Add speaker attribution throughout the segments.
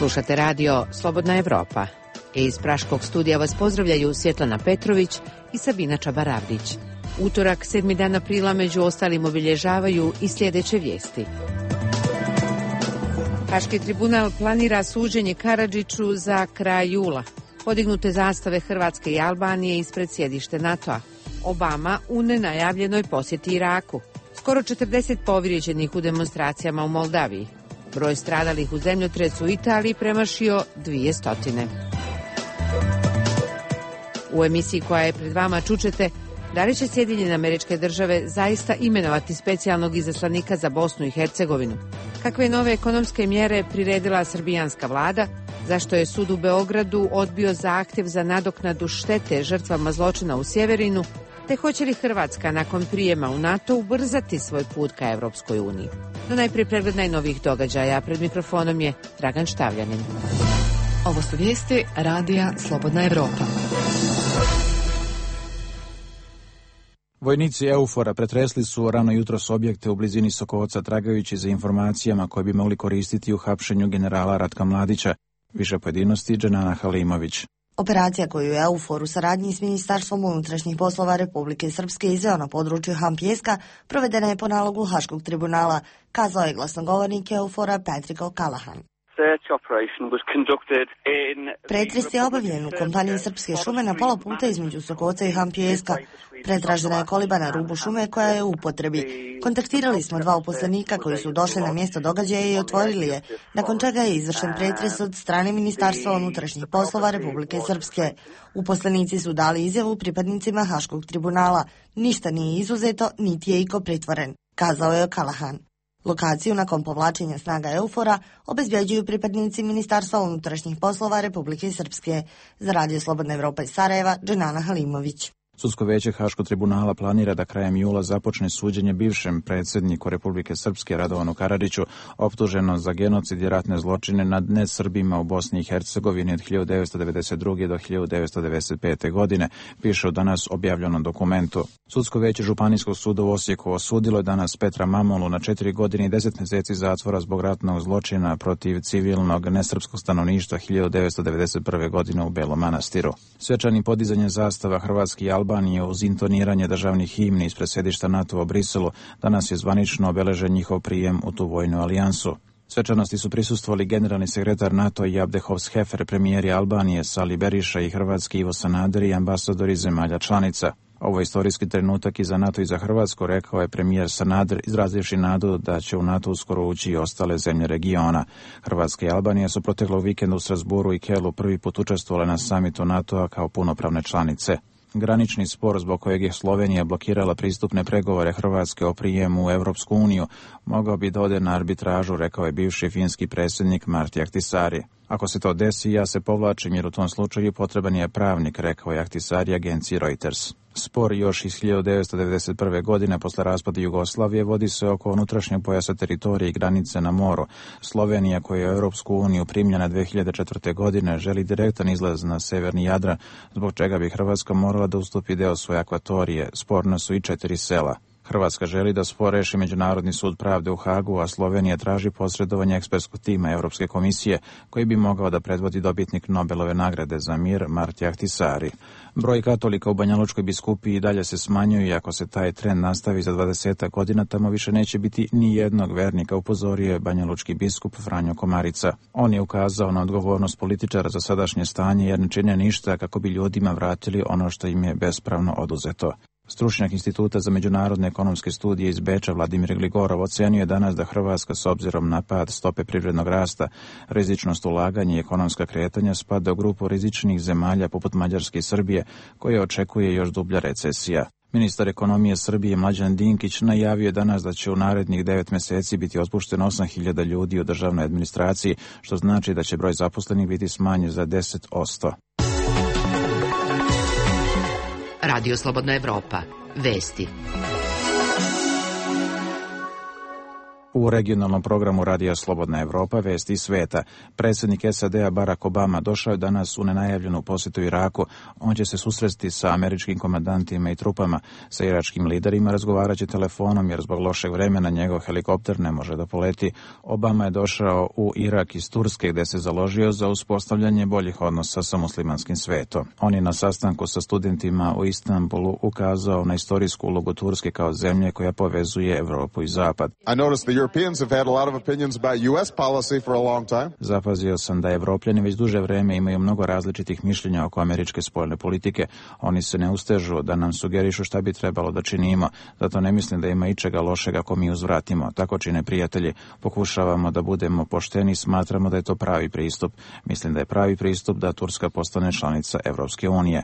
Speaker 1: Slušate radio Slobodna Evropa. Iz Praškog studija vas pozdravljaju Svjetlana Petrović i Sabina Čabaravdić. Utorak, 7. dan aprila, među ostalim obilježavaju i sljedeće vijesti. Haški tribunal planira suđenje Karadžiću za kraj jula. Podignute zastave Hrvatske i Albanije ispred sjedište NATO-a. Obama u nenajavljenoj posjeti Iraku. Skoro 40 povrijeđenih u demonstracijama u Moldaviji. Broj stradalih u zemljotresu u Italiji premašio 200. U emisiji koja je pred vama čućete da li će Sjedinjene Američke Države zaista imenovati specijalnog izaslanika za Bosnu i Hercegovinu. Kakve nove ekonomske mjere priredila srbijanska vlada, zašto je sud u Beogradu odbio zahtjev za nadoknadu štete žrtvama zločina u Sjeverinu, te hoće li Hrvatska nakon prijema u NATO ubrzati svoj put ka Evropskoj uniji. No najprije pregled najnovijih događaja. Pred mikrofonom je Dragan Štavljanin.
Speaker 2: Ovo su vijesti radija Slobodna Evropa.
Speaker 3: Vojnici EUFOR-a pretresli su rano jutros objekte u blizini Sokoca tragajući za informacijama koje bi mogli koristiti u hapšenju generala Ratka Mladića. Više pojedinosti Dženana Halimović.
Speaker 4: Operacija koju je EUFOR u saradnji s Ministarstvom unutrašnjih poslova Republike Srpske izveo na području Han-Pjeska provedena je po nalogu Haškog tribunala, kazao je glasnogovornik EUFOR-a Patrick O'Callaghan. Pretres je obavljen u kompaniji Srpske šume na pola puta između Sokoca i Han-Pjeska. Pretražena je koliba na rubu šume koja je u upotrebi. Kontaktirali smo 2 uposlenika koji su došli na mjesto događaja i otvorili je, nakon čega je izvršen pretres od strane Ministarstva unutrašnjih poslova Republike Srpske. Uposlenici su dali izjavu pripadnicima Haškog tribunala. Ništa nije izuzeto, niti je iko pritvoren, kazao je O'Callaghan. Lokaciju nakon povlačenja snaga EUFOR-a obezbjeđuju pripadnici Ministarstva unutrašnjih poslova Republike Srpske. Za radio Slobodna Evropa iz Sarajeva, Dženana Halimović.
Speaker 3: Sudsko vijeće Haškog tribunala planira da krajem jula započne suđenje bivšem predsjedniku Republike Srpske Radovanu Karadžiću, optuženo za genocid i ratne zločine nad nesrbima u Bosni i Hercegovini od 1992. do 1995. godine, piše u danas objavljenom dokumentu. Sudsko vijeće Županijskog suda u Osijeku osudilo je danas Petra Mamulu na 4 godine i 10 mjeseci zatvora zbog ratnog zločina protiv civilnog nesrpskog stanovništva 1991. godine u Belom Manastiru. Svečanim podizanjem zastava Hrvatske i Albanije uz intoniranje državnih himni ispred sjedišta NATO u Briselu danas je zvanično obeležen njihov prijem u tu vojnu alijansu. Svečanosti su prisustvovali generalni sekretar NATO i Abdehovs-Hefer, premijeri Albanije Sali Beriša i hrvatski Ivo Sanader i ambasadori zemalja članica. Ovo je istorijski trenutak i za NATO i za Hrvatsku, rekao je premijer Sanader, izrazivši nadu da će u NATO uskoro ući i ostale zemlje regiona. Hrvatska i Albanija su proteklog vikenda u Strasbourgu i Kelu prvi put učestvovale na samitu NATO-a kao punopravne članice. Granični spor zbog kojeg je Slovenija blokirala pristupne pregovore Hrvatske o prijemu u Europsku uniju mogao bi da ode na arbitražu, rekao je bivši finski predsjednik Martti Ahtisaari. Ako se to desi, ja se povlačim jer u tom slučaju potreban je pravnik, rekao je Ahtisaari agenciji Reuters. Spor još iz 1991. godine posle raspada Jugoslavije vodi se oko unutrašnjeg pojasa teritorije i granice na moru. Slovenija, koja je u Europsku uniju primljena 2004. godine, želi direktan izlaz na severni Jadran, zbog čega bi Hrvatska morala da ustupi deo svoje akvatorije. Sporna su i 4 sela. Hrvatska želi da spor reši Međunarodni sud pravde u Hagu, a Slovenija traži posredovanje ekspertskog tima Europske komisije, koji bi mogao da predvodi dobitnik Nobelove nagrade za mir Martti Ahtisaari. Broj katolika u Banjalučkoj biskupiji dalje se smanjuje i ako se taj trend nastavi za 20 godina, tamo više neće biti ni jednog vernika, upozorio je banjalučki biskup Franjo Komarica. On je ukazao na odgovornost političara za sadašnje stanje jer ne čine ništa kako bi ljudima vratili ono što im je bespravno oduzeto. Stručnjak Instituta za međunarodne ekonomske studije iz Beča Vladimir Gligorov ocenio je danas da Hrvatska s obzirom na pad stope privrednog rasta, rizičnost ulaganja i ekonomska kretanja spada u grupu rizičnih zemalja poput Mađarske i Srbije, koje očekuje još dublja recesija. Ministar ekonomije Srbije Mlađan Dinkić najavio je danas da će u narednih 9 mjeseci biti otpušteno 8.000 ljudi u državnoj administraciji, što znači da će broj zaposlenih biti smanjen za 10%.
Speaker 1: Radio Slobodna Evropa. Vesti.
Speaker 3: U regionalnom programu Radija Slobodna Evropa vesti sveta, predsjednik SAD-a Barack Obama došao je danas u nenajavljenu posjetu Iraku. On će se susresti sa američkim komandantima i trupama. Sa iračkim liderima razgovarat će telefonom jer zbog lošeg vremena njegov helikopter ne može da poleti. Obama je došao u Irak iz Turske gdje se založio za uspostavljanje boljih odnosa sa muslimanskim svetom. On je na sastanku sa studentima u Istanbulu ukazao na istorijsku ulogu Turske kao zemlje koja povezuje Evropu i Zapad. Zapazio sam da Evropljani već duže vreme imaju mnogo različitih mišljenja oko američke spoljne politike. Oni se ne ustežu da nam sugerišu šta bi trebalo da činimo. Zato ne mislim da ima ičega lošega ako mi uzvratimo. Tako čine prijatelji. Pokušavamo da budemo pošteni, smatramo da je to pravi pristup. Mislim da je pravi pristup da Turska postane članica Evropske unije.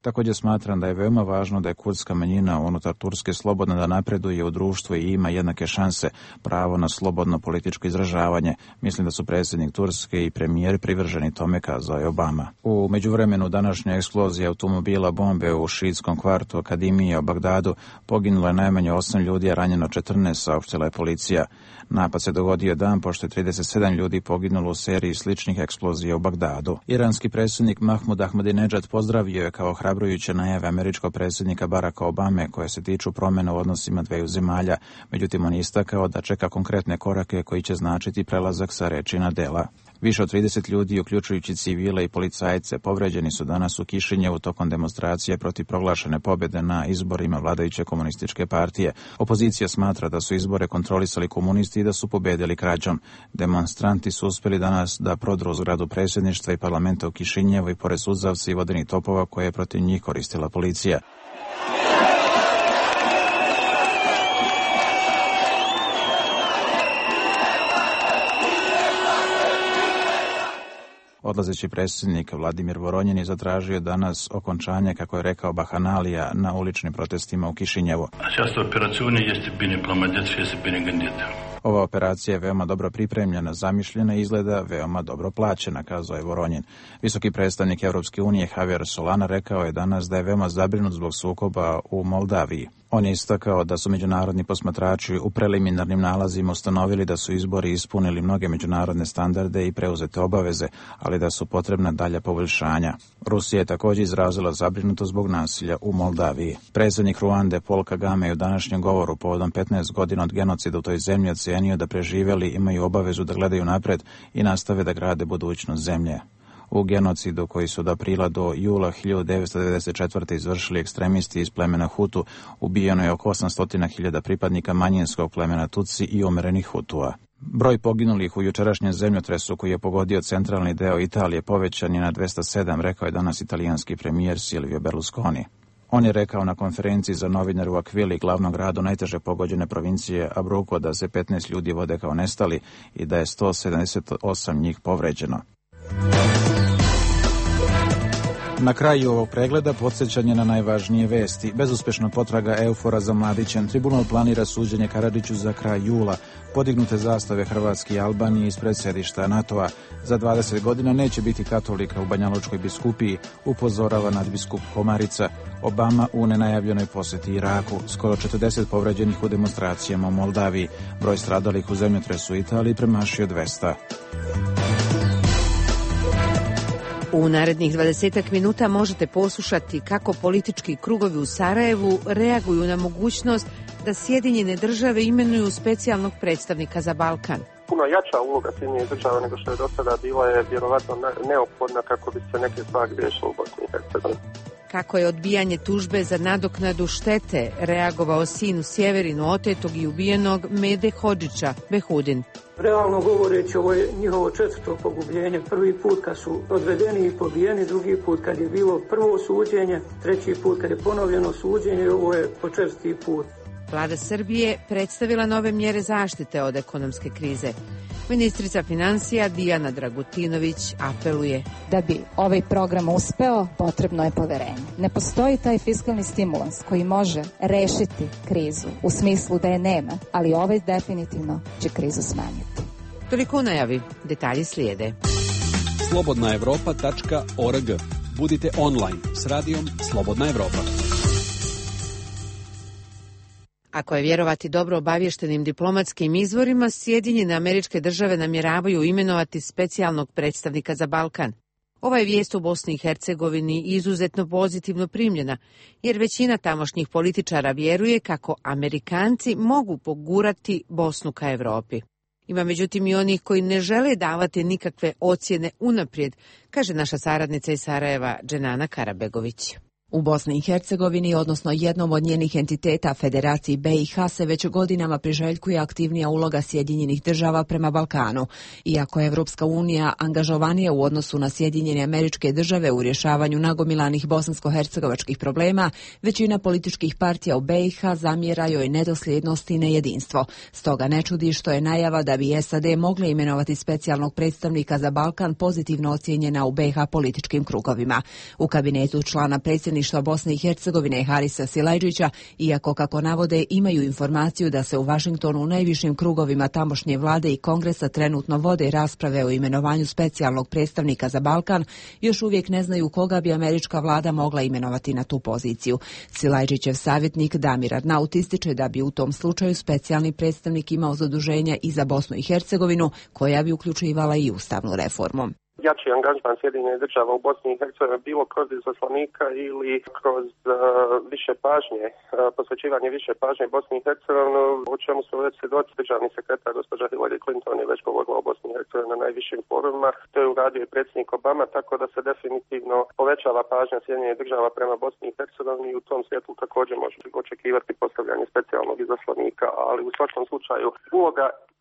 Speaker 3: Također smatram da je veoma važno da je kurdska manjina unutar Turske slobodna da napreduje u društvu i ima jednake šanse, pravo na slobodno političko izražavanje. Mislim da su predsjednik Turske i premijer privrženi tome, kazao je Obama. U međuvremenu današnja eksplozija automobila bombe u šiitskom kvartu Akademije u Bagdadu poginulo je najmanje 8 ljudi, a ranjeno 14, saopštila je policija. Napad se dogodio dan pošto je 37 ljudi poginulo u seriji sličnih eksplozija u Bagdadu. Iranski predsjednik Mahmud Ahmadinejad pozdravio je kao ohrabrujuće najave američkog predsjednika Baracka Obame koje se tiču promjena u odnosima dveju zemalja. Međutim, on je istakao da čeka konkretne korake koji će značiti prelazak sa reči na dela. Više od 30 ljudi, uključujući civile i policajce, povređeni su danas u Kišinjevu tokom demonstracije protiv proglašene pobjede na izborima vladajuće komunističke partije. Opozicija smatra da su izbore kontrolisali komunisti i da su pobjedili krađom. Demonstranti su uspjeli danas da prodru zgradu predsjedništva i parlamenta u Kišinjevu i pored suzavca i vodenih topova koje je protiv njih koristila policija. Odlazeći predsjednik Vladimir Voronjin je zatražio danas okončanje, kako je rekao, bahanalija na uličnim protestima u Kišinjevu. Ova operacija je veoma dobro pripremljena, zamišljena i izgleda veoma dobro plaćena, kazao je Voronjin. Visoki predstavnik Evropske unije Javier Solana rekao je danas da je veoma zabrinut zbog sukoba u Moldaviji. On je istakao da su međunarodni posmatrači u preliminarnim nalazima ustanovili da su izbori ispunili mnoge međunarodne standarde i preuzete obaveze, ali da su potrebna dalja poboljšanja. Rusija je također izrazila zabrinutost zbog nasilja u Moldaviji. Predsjednik Ruande Paul Kagame je u današnjem govoru povodom 15 godina od genocida u toj zemlji ocenio da preživjeli imaju obavezu da gledaju napred i nastave da grade budućnost zemlje. U genocidu koji su od aprila do jula 1994. izvršili ekstremisti iz plemena Hutu, ubijeno je oko 800.000 pripadnika manjinskog plemena Tutsi i umerenih Hutua. Broj poginulih u jučerašnjem zemljotresu koji je pogodio centralni deo Italije povećan je na 207, rekao je danas italijanski premijer Silvio Berlusconi. On je rekao na konferenciji za novinare u Aquili, glavnom gradu najteže pogođene provincije Abruzzo, da se 15 ljudi vode kao nestali i da je 178 njih povređeno. Na kraju ovog pregleda podsjećanje na najvažnije vesti. Bezuspešna potraga Eufora za Mladićem. Tribunal planira suđenje Karadžiću za kraj jula. Podignute zastave Hrvatske i Albanije ispred sedišta NATO-a. Za 20 godina neće biti katolika u Banjalučkoj biskupiji, upozorava nadbiskup Komarica. Obama u nenajavljenoj posjeti Iraku. Skoro 40 povređenih u demonstracijama u Moldaviji. Broj stradalih u zemljotresu u Italiji premašio 200.
Speaker 1: U narednih 20 minuta možete poslušati kako politički krugovi u Sarajevu reaguju na mogućnost da Sjedinjene države imenuju specijalnog predstavnika za Balkan.
Speaker 5: Puno jača uloga Sjedinjenih država nego što je do sada bila je vjerovatno neophodna kako bi se neke stvari riješile u Bosni i Hercegovini.
Speaker 1: Kako je odbijanje tužbe za nadoknadu štete reagovao sin u Sjeverinu otetog i ubijenog Mede Hodžića, Behudin.
Speaker 6: Realno govoreći, ovo je njihovo 4. pogubljenje. Prvi put kad su odvedeni i pobijeni, drugi put kad je bilo prvo suđenje, treći put kad je ponovljeno suđenje i ovo je po 4. put.
Speaker 1: Vlada Srbije predstavila nove mjere zaštite od ekonomske krize. Ministrica financija Dijana Dragutinović apeluje.
Speaker 7: Da bi ovaj program uspeo, potrebno je poverenje. Ne postoji taj fiskalni stimulans koji može rešiti krizu u smislu da je nema, ali ovaj definitivno će krizu smanjiti.
Speaker 1: Toliko u najavi. Detalji slijede.
Speaker 8: slobodnaevropa.org. Budite online s radijom Slobodna Evropa.
Speaker 1: Ako je vjerovati dobro obavještenim diplomatskim izvorima, Sjedinjene Američke Države namjeravaju imenovati specijalnog predstavnika za Balkan. Ova je vijest u Bosni i Hercegovini izuzetno pozitivno primljena, jer većina tamošnjih političara vjeruje kako Amerikanci mogu pogurati Bosnu ka Europi. Ima međutim i onih koji ne žele davati nikakve ocjene unaprijed, kaže naša saradnica iz Sarajeva, Dženana Karabegović.
Speaker 2: U Bosni i Hercegovini, odnosno jednom od njenih entiteta, Federaciji BiH, se već godinama priželjkuje aktivnija uloga Sjedinjenih Država prema Balkanu. Iako je Evropska unija angažovanija u odnosu na Sjedinjene Američke Države u rješavanju nagomilanih bosansko-hercegovačkih problema, većina političkih partija u BiH zamjera joj nedosljednost i nejedinstvo. Stoga ne čudi što je najava da bi SAD mogle imenovati specijalnog predstavnika za Balkan pozitivno ocijenjena u BiH političkim krugovima. U kabinetu člana predsjedništva Bosne i Hercegovine Harisa Silajdžića, iako kako navode imaju informaciju da se u Vašingtonu u najvišim krugovima tamošnje vlade i kongresa trenutno vode rasprave o imenovanju specijalnog predstavnika za Balkan, još uvijek ne znaju koga bi američka vlada mogla imenovati na tu poziciju. Silajdžićev savjetnik Damir Arnaut ističe da bi u tom slučaju specijalni predstavnik imao zaduženja i za Bosnu i Hercegovinu, koja bi uključivala i ustavnu reformu.
Speaker 5: Jači angažman Sjedinjenih Država u Bosni i Hercegovini bilo kroz izaslanika ili kroz više pažnje, posvećivanje više pažnje Bosni i Hercegovini, o čemu su već svjedoci. Državni sekretar gospođa Hillary Clinton je već govorila o Bosni i Hercegovini na najvišim forumima. To je uradio i predsjednik Obama, tako da se definitivno povećava pažnja Sjedinjenih Država prema Bosni i Hercegovini i u tom svjetlu također može očekivati postavljanje specijalnog izaslanika, ali u svakom slučaju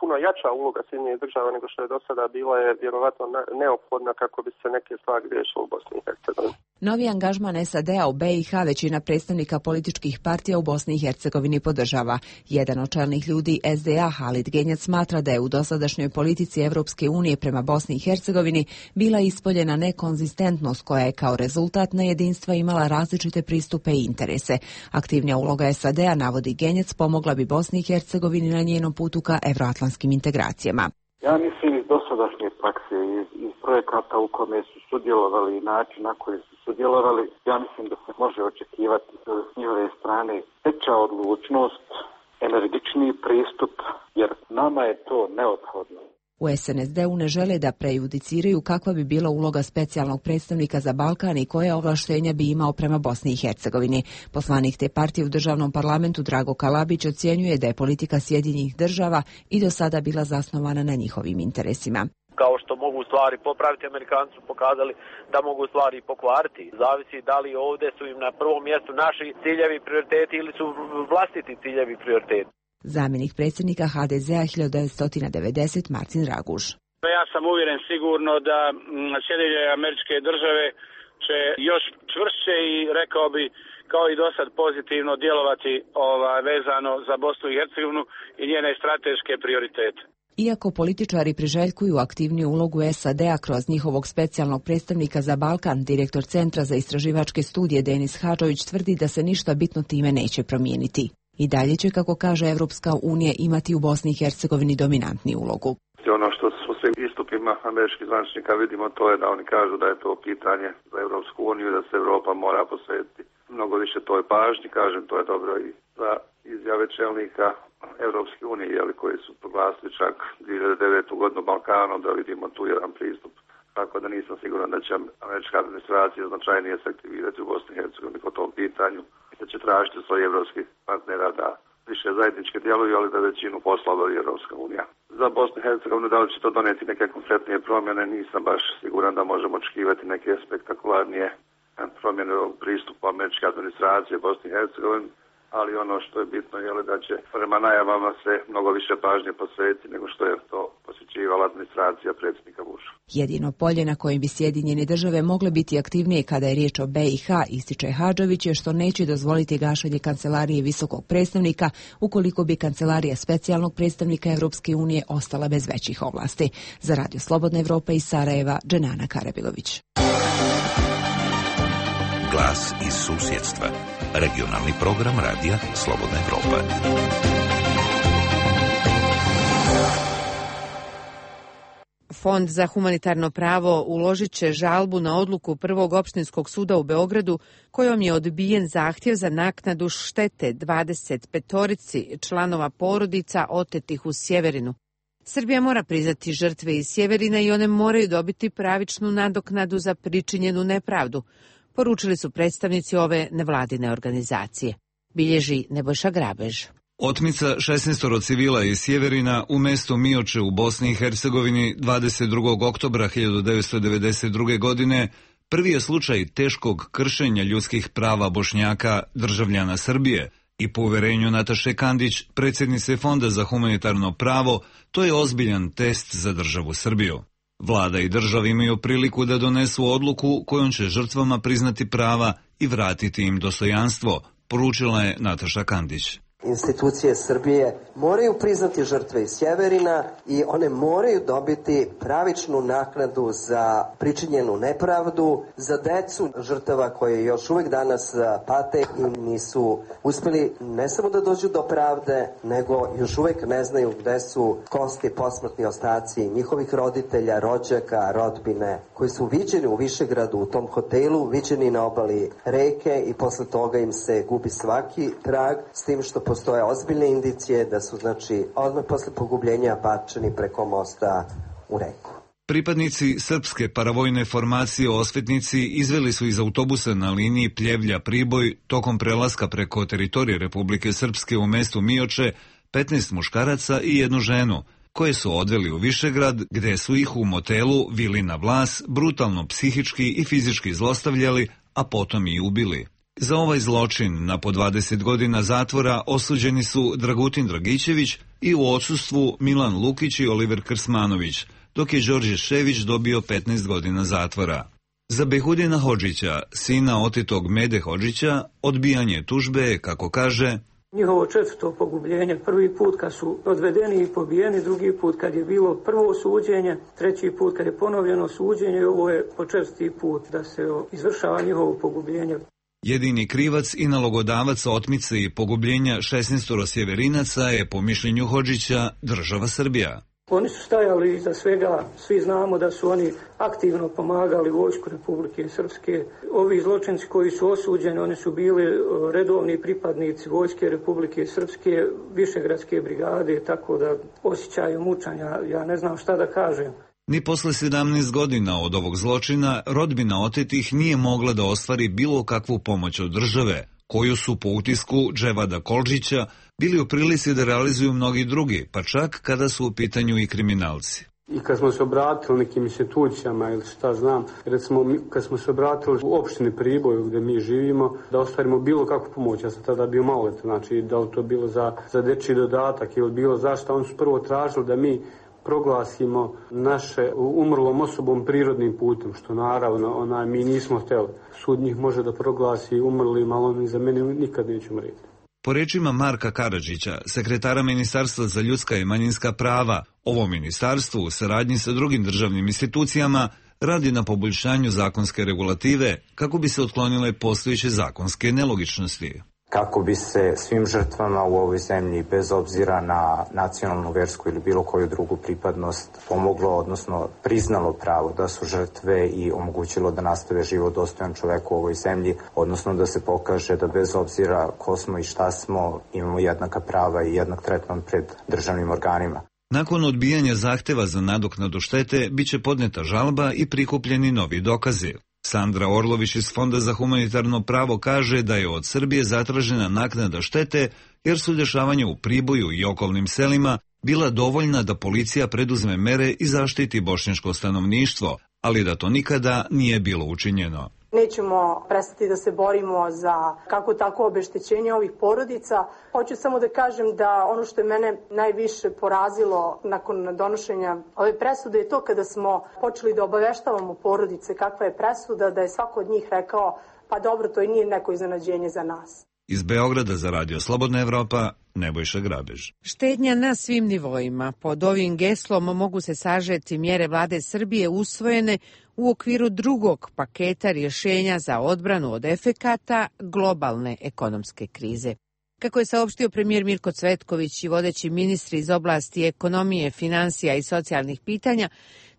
Speaker 5: puno jača uloga Sjedinjenih Država nego što je do sada bila je vjerovatno neophodna kako bi se neke stvari riješile u Bosni i Hercegovini.
Speaker 2: Novi angažman SAD-a u BiH većina predstavnika političkih partija u Bosni i Hercegovini podržava. Jedan od čelnih ljudi SDA, Halid Genjac, smatra da je u dosadašnjoj politici Evropske unije prema Bosni i Hercegovini bila ispoljena nekonzistentnost koja je kao rezultat nejedinstva imala različite pristupe i interese. Aktivnija uloga SAD-a, navodi Genjac, pomogla bi Bosni i Hercegovini na njenom putu ka evroatlantskim integracijama.
Speaker 8: Ja mislim iz dosadašnje prakse, iz projekata u kome su sudjelovali i način na koji su sudjelovali, ja mislim da se može očekivati s njihove strane veća odlučnost, energičniji pristup, jer nama je to neophodno.
Speaker 2: U SNSD-u ne žele da prejudiciraju kakva bi bila uloga specijalnog predstavnika za Balkan i koje ovlaštenja bi imao prema Bosni i Hercegovini. Poslanik te partije u državnom parlamentu Drago Kalabić ocjenjuje da je politika Sjedinjenih Država i do sada bila zasnovana na njihovim interesima.
Speaker 9: Kao što mogu stvari popraviti, Amerikanci su pokazali da mogu stvari pokvariti. Zavisi da li ovdje su im na prvom mjestu naši ciljevi i prioriteti ili su vlastiti ciljevi i prioriteti.
Speaker 2: Zamjenik predsjednika HDZ-a 1990 Marcin Raguž.
Speaker 10: Ja sam uvjeren sigurno da Sjedinjene Američke Države će još čvršće i rekao bi kao i dosad pozitivno djelovati vezano za Bosnu i Hercegovinu i njene strateške prioritete.
Speaker 2: Iako političari priželjkuju aktivniju ulogu SAD-a kroz njihovog specijalnog predstavnika za Balkan, direktor Centra za istraživačke studije Denis Hadžović tvrdi da se ništa bitno time neće promijeniti. I dalje će, kako kaže Evropska unija, imati u Bosni i Hercegovini dominantni ulogu.
Speaker 11: Ono što u svim istupima američkih zvaničnika vidimo, to je da oni kažu da je to pitanje za Evropsku uniju, da se Europa mora posvetiti mnogo više toj pažnji. Kažem, to je dobro i za izjave čelnika Evropske unije, koji su proglasili čak 2009. godinu Balkanom, da vidimo tu jedan pristup. Tako da nisam siguran da će američka administracija značajnije se aktivirati u Bosni i Hercegovini po tom pitanju, da će tražiti svojih evropskih partnera da više zajednički djeluju, ali da većinu posla obavi Evropska unija. Za Bosnu i Hercegovinu da li će to donijeti neke konkretnije promjene, nisam baš siguran da možemo očekivati neke spektakularnije promjene u pristupu američke administracije Bosni i Hercegovini, ali ono što je bitno je da će prema najavama se mnogo više pažnje posvetiti nego što je to posvećivala administracija predsjednika Busha.
Speaker 2: Jedino polje na kojem bi Sjedinjene Države mogle biti aktivnije kada je riječ o BiH, ističe Hadžović, je što neće dozvoliti gašenje kancelarije visokog predstavnika ukoliko bi kancelarija specijalnog predstavnika Evropske unije ostala bez većih ovlasti. Za Radio Slobodna Evropa iz Sarajeva, Dženana Karabegović.
Speaker 12: Glas iz susjedstva. Regionalni program radija Slobodna Evropa.
Speaker 1: Fond za humanitarno pravo uložit će žalbu na odluku Prvog opštinskog suda u Beogradu kojom je odbijen zahtjev za naknadu štete 25 članova porodica otetih u Sjeverinu. Srbija mora priznati žrtve iz Sjeverina i one moraju dobiti pravičnu nadoknadu za pričinjenu nepravdu, poručili su predstavnici ove nevladine organizacije. Bilježi Nebojša Grabež.
Speaker 13: Otmica 16 civila iz Sjeverina u mestu Mioče u Bosni i Hercegovini 22. oktobra 1992. godine prvi je slučaj teškog kršenja ljudskih prava Bošnjaka, državljana Srbije, i po uverenju Nataše Kandić, predsjednice Fonda za humanitarno pravo, to je ozbiljan test za državu Srbiju. Vlada i država imaju priliku da donesu odluku kojom će žrtvama priznati prava i vratiti im dostojanstvo, poručila je Nataša Kandić.
Speaker 14: Institucije Srbije moraju priznati žrtve iz Sjeverina i one moraju dobiti pravičnu naknadu za pričinjenu nepravdu, za decu žrtava koje još uvijek danas pate i nisu uspjeli ne samo da dođu do pravde, nego još uvijek ne znaju gde su kosti, posmrtni ostaci njihovih roditelja, rođaka, rodbine, koji su viđeni u Višegradu u tom hotelu, viđeni na obali reke i posle toga im se gubi svaki trag, s tim što postoje ozbiljne indicije da su, odmah posle pogubljenja bačeni preko mosta u reku.
Speaker 13: Pripadnici srpske paravojne formacije Osvetnici izveli su iz autobusa na liniji Pljevlja-Priboj tokom prelaska preko teritorije Republike Srpske u mestu Mioče 15 muškaraca i jednu ženu, koje su odveli u Višegrad, gde su ih u motelu Vili na Vlas brutalno psihički i fizički zlostavljali, a potom i ubili. Za ovaj zločin na po 20 godina zatvora osuđeni su Dragutin Dragićević i u odsustvu Milan Lukić i Oliver Krsmanović, dok je Đorđe Šević dobio 15 godina zatvora. Za Behudina Hodžića, sina otetog Mede Hodžića, odbijanje tužbe je, kako kaže,
Speaker 6: njihovo četvrto pogubljenje, prvi put kad su odvedeni i pobijeni, drugi put kad je bilo prvo suđenje, treći put kad je ponovljeno suđenje, ovo je po četvrti put da se izvršava njihovo pogubljenje.
Speaker 13: Jedini krivac i nalogodavac otmice i pogubljenja 16 sjeverinaca je, po mišljenju Hodžića, država Srbija.
Speaker 6: Oni su stajali iza svega, svi znamo da su oni aktivno pomagali vojsku Republike Srpske. Ovi zločinci koji su osuđeni, oni su bili redovni pripadnici vojske Republike Srpske, Višegradske brigade, tako da osjećaju mučanja, ja ne znam šta da kažem.
Speaker 13: Ni posle 17 godina od ovog zločina rodbina otetih nije mogla da ostvari bilo kakvu pomoć od države, koju su po utisku Dževada Kolđića bili u prilici da realizuju mnogi drugi, pa čak kada su u pitanju i kriminalci.
Speaker 15: I kad smo se obratili nekim institucijama ili šta znam, recimo kad smo se obratili u opštini Priboju gdje mi živimo, da ostvarimo bilo kakvu pomoć, ja sam tada bio maloletan, znači da li to bilo za dečji dodatak ili bilo zašto, oni su prvo tražili da mi proglasimo naše umrlom osobom prirodnim putem, što naravno mi nismo htjeli. Sud njih može da proglasi umrlim, ali oni za mene nikad neće umreti.
Speaker 13: Po rečima Marka Karadžića, sekretara Ministarstva za ljudska i manjinska prava, ovo ministarstvo u saradnji sa drugim državnim institucijama radi na poboljšanju zakonske regulative kako bi se otklonile postojeće zakonske nelogičnosti.
Speaker 16: Kako bi se svim žrtvama u ovoj zemlji, bez obzira na nacionalnu, versku ili bilo koju drugu pripadnost, pomoglo, odnosno priznalo pravo da su žrtve i omogućilo da nastave život dostojan čoveku u ovoj zemlji, odnosno da se pokaže da bez obzira ko smo i šta smo, imamo jednaka prava i jednak tretman pred državnim organima.
Speaker 13: Nakon odbijanja zahteva za nadoknadu štete, biće podneta žalba i prikupljeni novi dokazi. Sandra Orlović iz Fonda za humanitarno pravo kaže da je od Srbije zatražena naknada štete jer su dešavanja u Priboju i okolnim selima bila dovoljna da policija preduzme mere i zaštiti bošnjačko stanovništvo, ali da to nikada nije bilo učinjeno.
Speaker 17: Nećemo prestati da se borimo za kako tako obeštećenje ovih porodica. Hoću samo da kažem da ono što je mene najviše porazilo nakon donošenja ove presude je to kada smo počeli da obaveštavamo porodice kakva je presuda, da je svako od njih rekao pa dobro, to i nije neko iznenađenje za nas.
Speaker 13: Iz Beograda za Radio Slobodna Evropa, Nebojša Grabež.
Speaker 1: Štednja na svim nivoima. Pod ovim geslom mogu se sažeti mjere vlade Srbije usvojene u okviru drugog paketa rješenja za odbranu od efekata globalne ekonomske krize. Kako je saopštio premijer Mirko Cvetković i vodeći ministri iz oblasti ekonomije, finansija i socijalnih pitanja,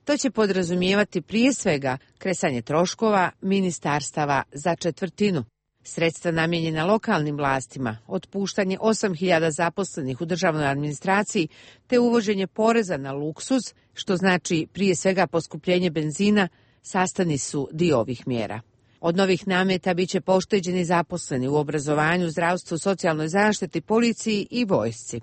Speaker 1: To će podrazumijevati prije svega kresanje troškova ministarstava za četvrtinu. Sredstva namijenjena lokalnim vlastima, otpuštanje 8.000 zaposlenih u državnoj administraciji te uvođenje poreza na luksuz, što znači prije svega poskupljenje benzina, sastavni su dio ovih mjera. Od novih nameta bit će pošteđeni zaposleni u obrazovanju, zdravstvu, socijalnoj zaštiti, policiji i vojsci.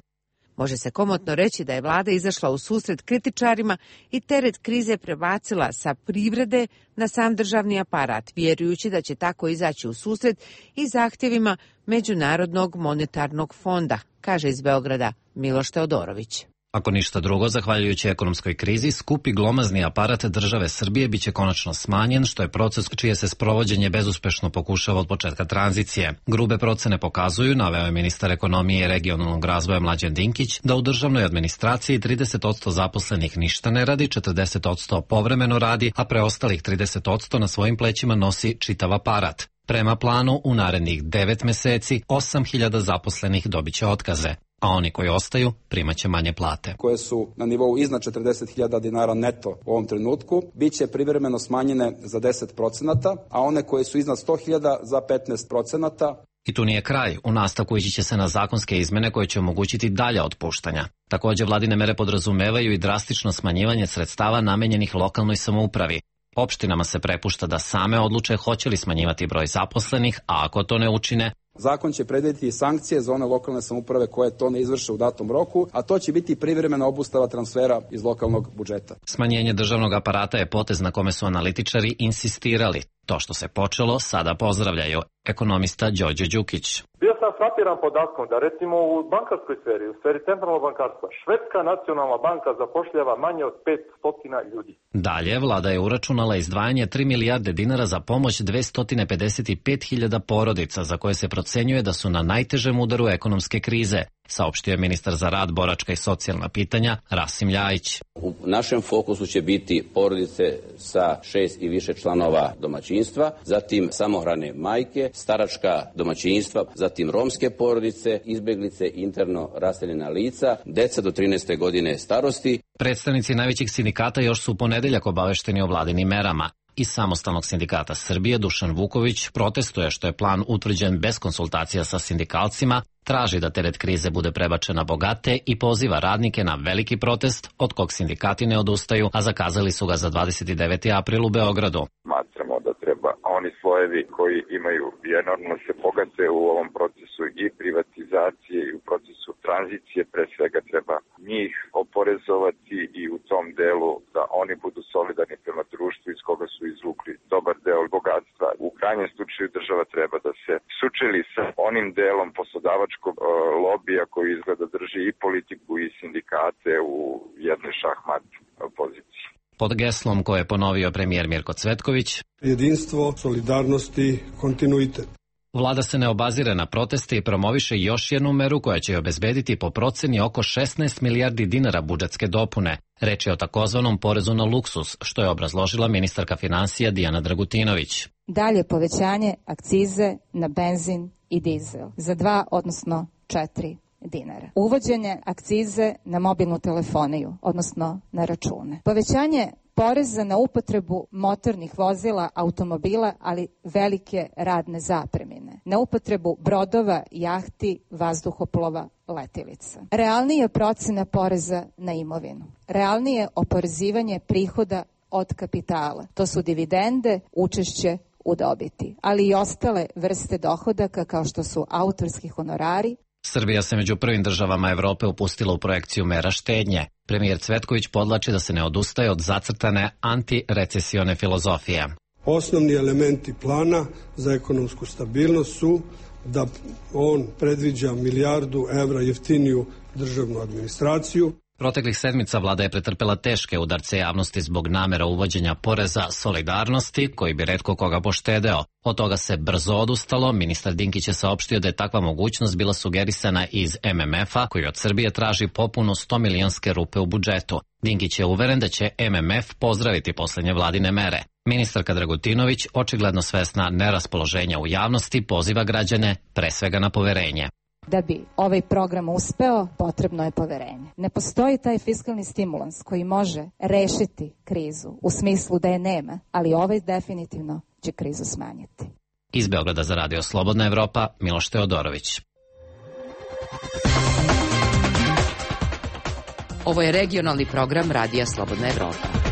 Speaker 1: Može se komotno reći da je vlada izašla u susret kritičarima i teret krize prebacila sa privrede na sam državni aparat, vjerujući da će tako izaći u susret i zahtjevima Međunarodnog monetarnog fonda, kaže iz Beograda Miloš Teodorović.
Speaker 18: Ako ništa drugo, zahvaljujući ekonomskoj krizi, skupi glomazni aparat države Srbije biće konačno smanjen, što je proces čije se sprovođenje bezuspešno pokušava od početka tranzicije. Grube procene pokazuju, naveo je ministar ekonomije i regionalnog razvoja Mlađan Dinkić, da u državnoj administraciji 30% zaposlenih ništa ne radi, 40% povremeno radi, a preostalih 30% na svojim plećima nosi čitav aparat. Prema planu, u narednih 9 meseci 8.000 zaposlenih dobiće otkaze, a oni koji ostaju primaće manje plate.
Speaker 19: Koje su na nivou iznad 40.000 dinara neto u ovom trenutku, bit će privremeno smanjene za 10%, a one koje su iznad 100.000 za 15%.
Speaker 18: I tu nije kraj. U nastavku ići će se na zakonske izmene koje će omogućiti dalja otpuštanja. Također, vladine mere podrazumevaju i drastično smanjivanje sredstava namenjenih lokalnoj samoupravi. Opštinama se prepušta da same odluče hoće li smanjivati broj zaposlenih, a ako to ne učine,
Speaker 19: zakon će predvidjeti sankcije za one lokalne samouprave koje to ne izvrše u datom roku, a to će biti privremena obustava transfera iz lokalnog budžeta.
Speaker 18: Smanjenje državnog aparata je potez na kome su analitičari insistirali. To što se počelo, sada pozdravljaju. Ekonomista Đorđe Đukić.
Speaker 20: Bio sam frapiran podatkom da recimo u bankarskoj sferi, u sferi centralnog bankarstva, Švedska nacionalna banka zapošljava manje od 500 ljudi.
Speaker 18: Dalje, vlada je uračunala izdvajanje 3 milijarde dinara za pomoć 255.000 porodica za koje se procenjuje da su na najtežem udaru ekonomske krize, saopštio je ministar za rad, boračka i socijalna pitanja Rasim Ljajić.
Speaker 21: U našem fokusu će biti porodice sa 6 i više članova domaćinstva, zatim samohrane majke, staračka domaćinstva, zatim romske porodice, izbjeglice, interno raseljena lica, deca do 13. godine starosti.
Speaker 18: Predstavnici najvećih sindikata još su u ponedeljak obavešteni o vladinim merama. Iz Samostalnog sindikata Srbije Dušan Vuković protestuje što je plan utvrđen bez konsultacija sa sindikalcima, traži da teret krize bude prebačen na bogate i poziva radnike na veliki protest od kog sindikati ne odustaju, a zakazali su ga za 29. april u Beogradu.
Speaker 22: Smatramo da treba oni slojevi koji imaju i enormno se bogate u ovom procesu i privatizacije i u procesu tranzicije, pre svega treba njih oporezovati i u tom delu da oni budu solidarni prema društvu iz koga su izvukli dobar deo bogatstva. U krajnjem slučaju država treba da se sučeli sa onim delom poslodavačkog lobija koji izgleda drži i politiku i sindikate u jednoj šahmat poziciji.
Speaker 18: Pod geslom koje je ponovio premijer Mirko Cvetković:
Speaker 23: jedinstvo, solidarnost i kontinuitet.
Speaker 18: Vlada se ne obazire na proteste i promoviše još jednu meru koja će obezbediti po proceni oko 16 milijardi dinara budžetske dopune. Reč je o takozvanom porezu na luksuz, što je obrazložila ministarka finansija Dijana Dragutinović.
Speaker 7: Dalje povećanje akcize na benzin i dizel za 2, odnosno 4 dinara. Uvođenje akcize na mobilnu telefoniju, odnosno na račune. Povećanje poreza na upotrebu motornih vozila, automobila, ali velike radne zapremine. Na upotrebu brodova, jahti, vazduhoplova, letilica. Realnije procena poreza na imovinu. Realnije oporezivanje prihoda od kapitala. To su dividende, učešće u dobiti, ali i ostale vrste dohodaka kao što su autorski honorari.
Speaker 18: Srbija se među prvim državama Evrope upustila u projekciju mera štednje. Premijer Cvetković podlači da se ne odustaje od zacrtane antirecesione filozofije.
Speaker 23: Osnovni elementi plana za ekonomsku stabilnost su da on predviđa 1 milijardu evra jeftiniju državnu administraciju.
Speaker 18: Proteklih sedmica vlada je pretrpela teške udarce javnosti zbog namera uvođenja poreza solidarnosti, koji bi retko koga poštedeo. Od toga se brzo odustalo. Ministar Dinkić je saopštio da je takva mogućnost bila sugerisana iz MMF-a, koji od Srbije traži popunu 100 milionske rupe u budžetu. Dinkić je uveren da će MMF pozdraviti posljednje vladine mere. Ministarka Dragutinović, očigledno svesna neraspoloženja u javnosti, poziva građane pre svega na poverenje.
Speaker 7: Da bi ovaj program uspeo, potrebno je poverenje. Ne postoji taj fiskalni stimulans koji može rešiti krizu u smislu da je nema, ali ovaj definitivno će krizu smanjiti.
Speaker 18: Iz Beograda za Radio Slobodna Evropa, Miloš Teodorović.
Speaker 3: Ovo je regionalni program Radija Slobodna Evropa.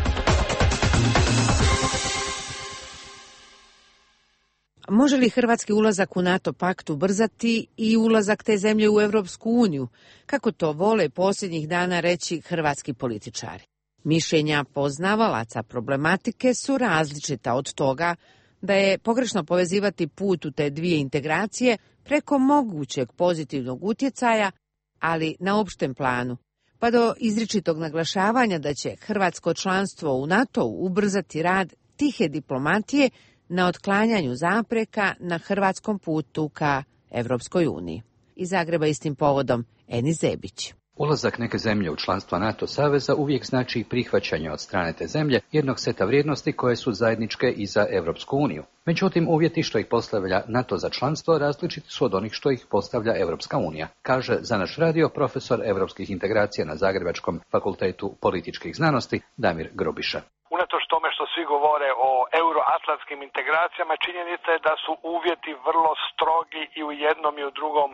Speaker 1: Može li hrvatski ulazak u NATO pakt ubrzati i ulazak te zemlje u Evropsku uniju, kako to vole posljednjih dana reći hrvatski političari? Mišljenja poznavalaca problematike su različita od toga da je pogrešno povezivati put u te dvije integracije preko mogućeg pozitivnog utjecaja, ali na opštem planu, pa do izričitog naglašavanja da će hrvatsko članstvo u NATO-u ubrzati rad tihe diplomatije na otklanjanju zapreka na hrvatskom putu ka Evropskoj uniji. Iz Zagreba istim povodom Enis Zebić.
Speaker 4: Ulazak neke zemlje u članstvo NATO saveza uvijek znači prihvaćanje od strane te zemlje jednog seta vrijednosti koje su zajedničke i za Evropsku uniju. Međutim, uvjeti što ih postavlja NATO za članstvo različiti su od onih što ih postavlja Evropska unija, kaže za naš radio profesor evropskih integracija na Zagrebačkom fakultetu političkih znanosti Damir Grobiša.
Speaker 5: Unatoč tome što svi govore o euroatlantskim integracijama, činjenica je da su uvjeti vrlo strogi i u jednom i u drugom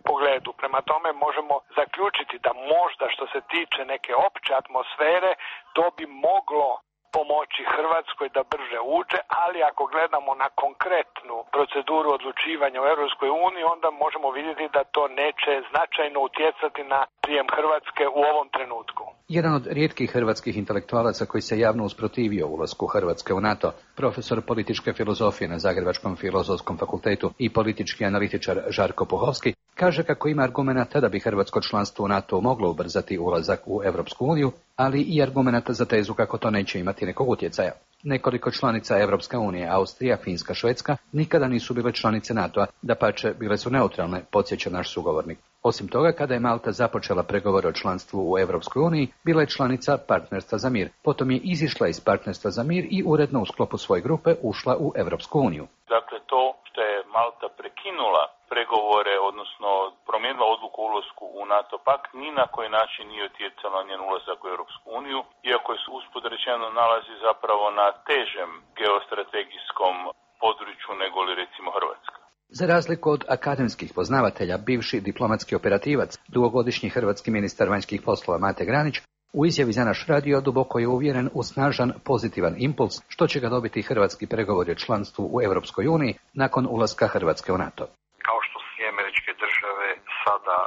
Speaker 5: pogledu. Prema tome možemo zaključiti da možda što se tiče neke opće atmosfere, to bi moglo pomoći Hrvatskoj da brže uđe, ali ako gledamo na konkretnu proceduru odlučivanja u Europskoj uniji, onda možemo vidjeti da to neće značajno utjecati na prijem Hrvatske u ovom trenutku.
Speaker 4: Jedan od rijetkih hrvatskih intelektualaca koji se javno usprotivio ulasku Hrvatske u NATO, profesor političke filozofije na Zagrebačkom filozofskom fakultetu i politički analitičar Žarko Puhovski, kaže kako ima argumenata da bi hrvatsko članstvo u NATO moglo ubrzati ulazak u Evropsku uniju, ali i argumenata za tezu kako to neće imati nekog utjecaja. Nekoliko članica Evropske unije, Austrija, Finska, Švedska, nikada nisu bile članice NATO-a, dapače bile su neutralne, podsjeća naš sugovornik. Osim toga, kada je Malta započela pregovore o članstvu u Evropskoj uniji, bila je članica Partnerstva za mir. Potom je izišla iz Partnerstva za mir i uredno u sklopu svoje grupe ušla u Evropsku uniju.
Speaker 24: Dakle, to što je Malta prekinula pregovore, odnosno promijenila odluku o ulasku u NATO pakt, ni na koji način nije utjecalo na njen ulazak u Europsku uniju, iako je usput rečeno nalazi zapravo na težem geostrategijskom području nego li recimo Hrvatska.
Speaker 4: Za razliku od akademskih poznavatelja, bivši diplomatski operativac, dugogodišnji hrvatski ministar vanjskih poslova Mate Granić, u izjavi za naš radio duboko je uvjeren u snažan pozitivan impuls što će ga dobiti hrvatski pregovori o članstvu u Europskoj uniji nakon ulaska Hrvatske u NATO.
Speaker 25: Kao što su Američke države sada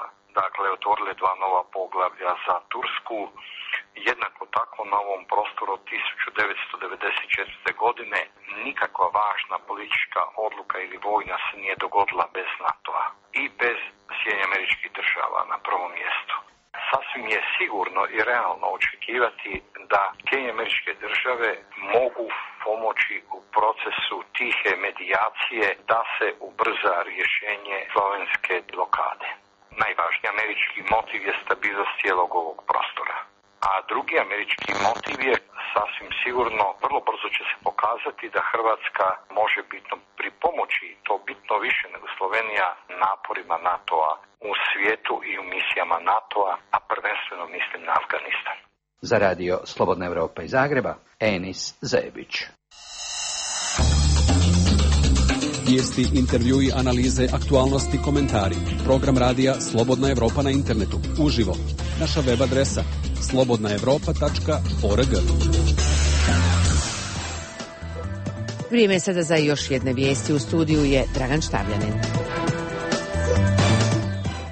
Speaker 25: otvorile dva nova poglavlja za Tursku, jednako tako na ovom prostoru od 1994. godine nikakva važna politička odluka ili vojna se nije dogodila bez NATO-a i bez Sjedinjenih Američkih Država na prvom mjestu. Sasvim je sigurno i realno očekivati da Sjedinjene Američke Države mogu pomoći u procesu tihe medijacije da se ubrza rješenje slovenske blokade. Najvažniji američki motiv je stabilnost cijelog ovog prostora. A drugi američki motiv je sasvim sigurno, vrlo brzo će se pokazati da Hrvatska može bitno pripomoći, to bitno više nego Slovenija, naporima NATO-a u svijetu i u misijama NATO-a, a prvenstveno mislim na Afganistan.
Speaker 4: Za radio Slobodna Evropa iz Zagreba, Enis Zebić.
Speaker 26: Vijesti, intervjui, analize, aktualnosti, komentari. Program radija Slobodna Evropa na internetu. Uživo. Naša web adresa slobodnaevropa.org.
Speaker 1: Vrijeme sada za još jedne vijesti. U studiju je Dragan Štavljanin.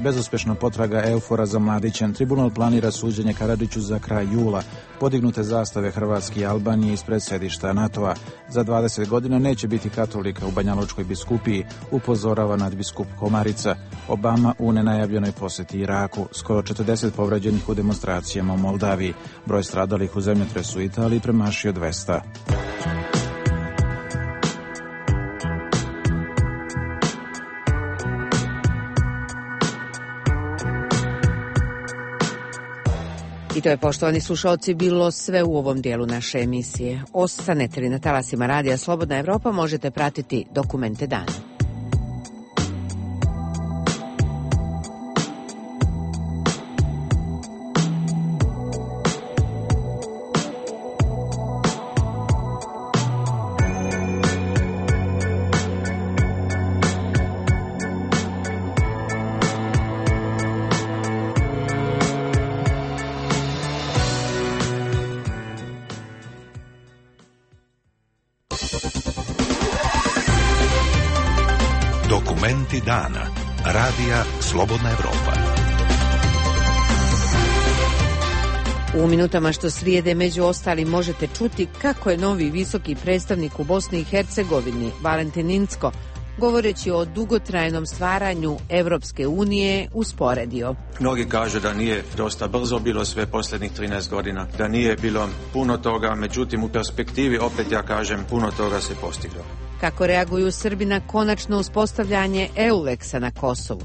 Speaker 27: Bezuspješna potraga Eufora za Mladićem. Tribunal planira suđenje Karadžiću za kraj jula. Podignute zastave Hrvatske i Albanije ispred središta NATO-a. Za 20 godina neće biti katolika u Banjalučkoj biskupiji, upozorava nadbiskup Komarica. Obama u nenajavljenoj posjeti Iraku. Skoro 40 povređenih u demonstracijama u Moldaviji. Broj stradalih u zemljotresu u Italiji premašio 200.
Speaker 1: I to je, poštovani slušalci, bilo sve u ovom dijelu naše emisije. Ostanete li na talasima radija Slobodna Evropa, možete pratiti dokumente dana.
Speaker 2: Dokumenti dana. Radija Slobodna Evropa.
Speaker 1: U minutama što slijede među ostalim možete čuti kako je novi visoki predstavnik u Bosni i Hercegovini, Valentin Incko, govoreći o dugotrajnom stvaranju Evropske unije, usporedio.
Speaker 8: Mnogi kažu da nije dosta brzo bilo sve posljednjih 13 godina, da nije bilo puno toga, međutim u perspektivi, opet ja kažem, puno toga se postiglo.
Speaker 1: Kako reaguju Srbi na konačno uspostavljanje EULEX-a na Kosovu?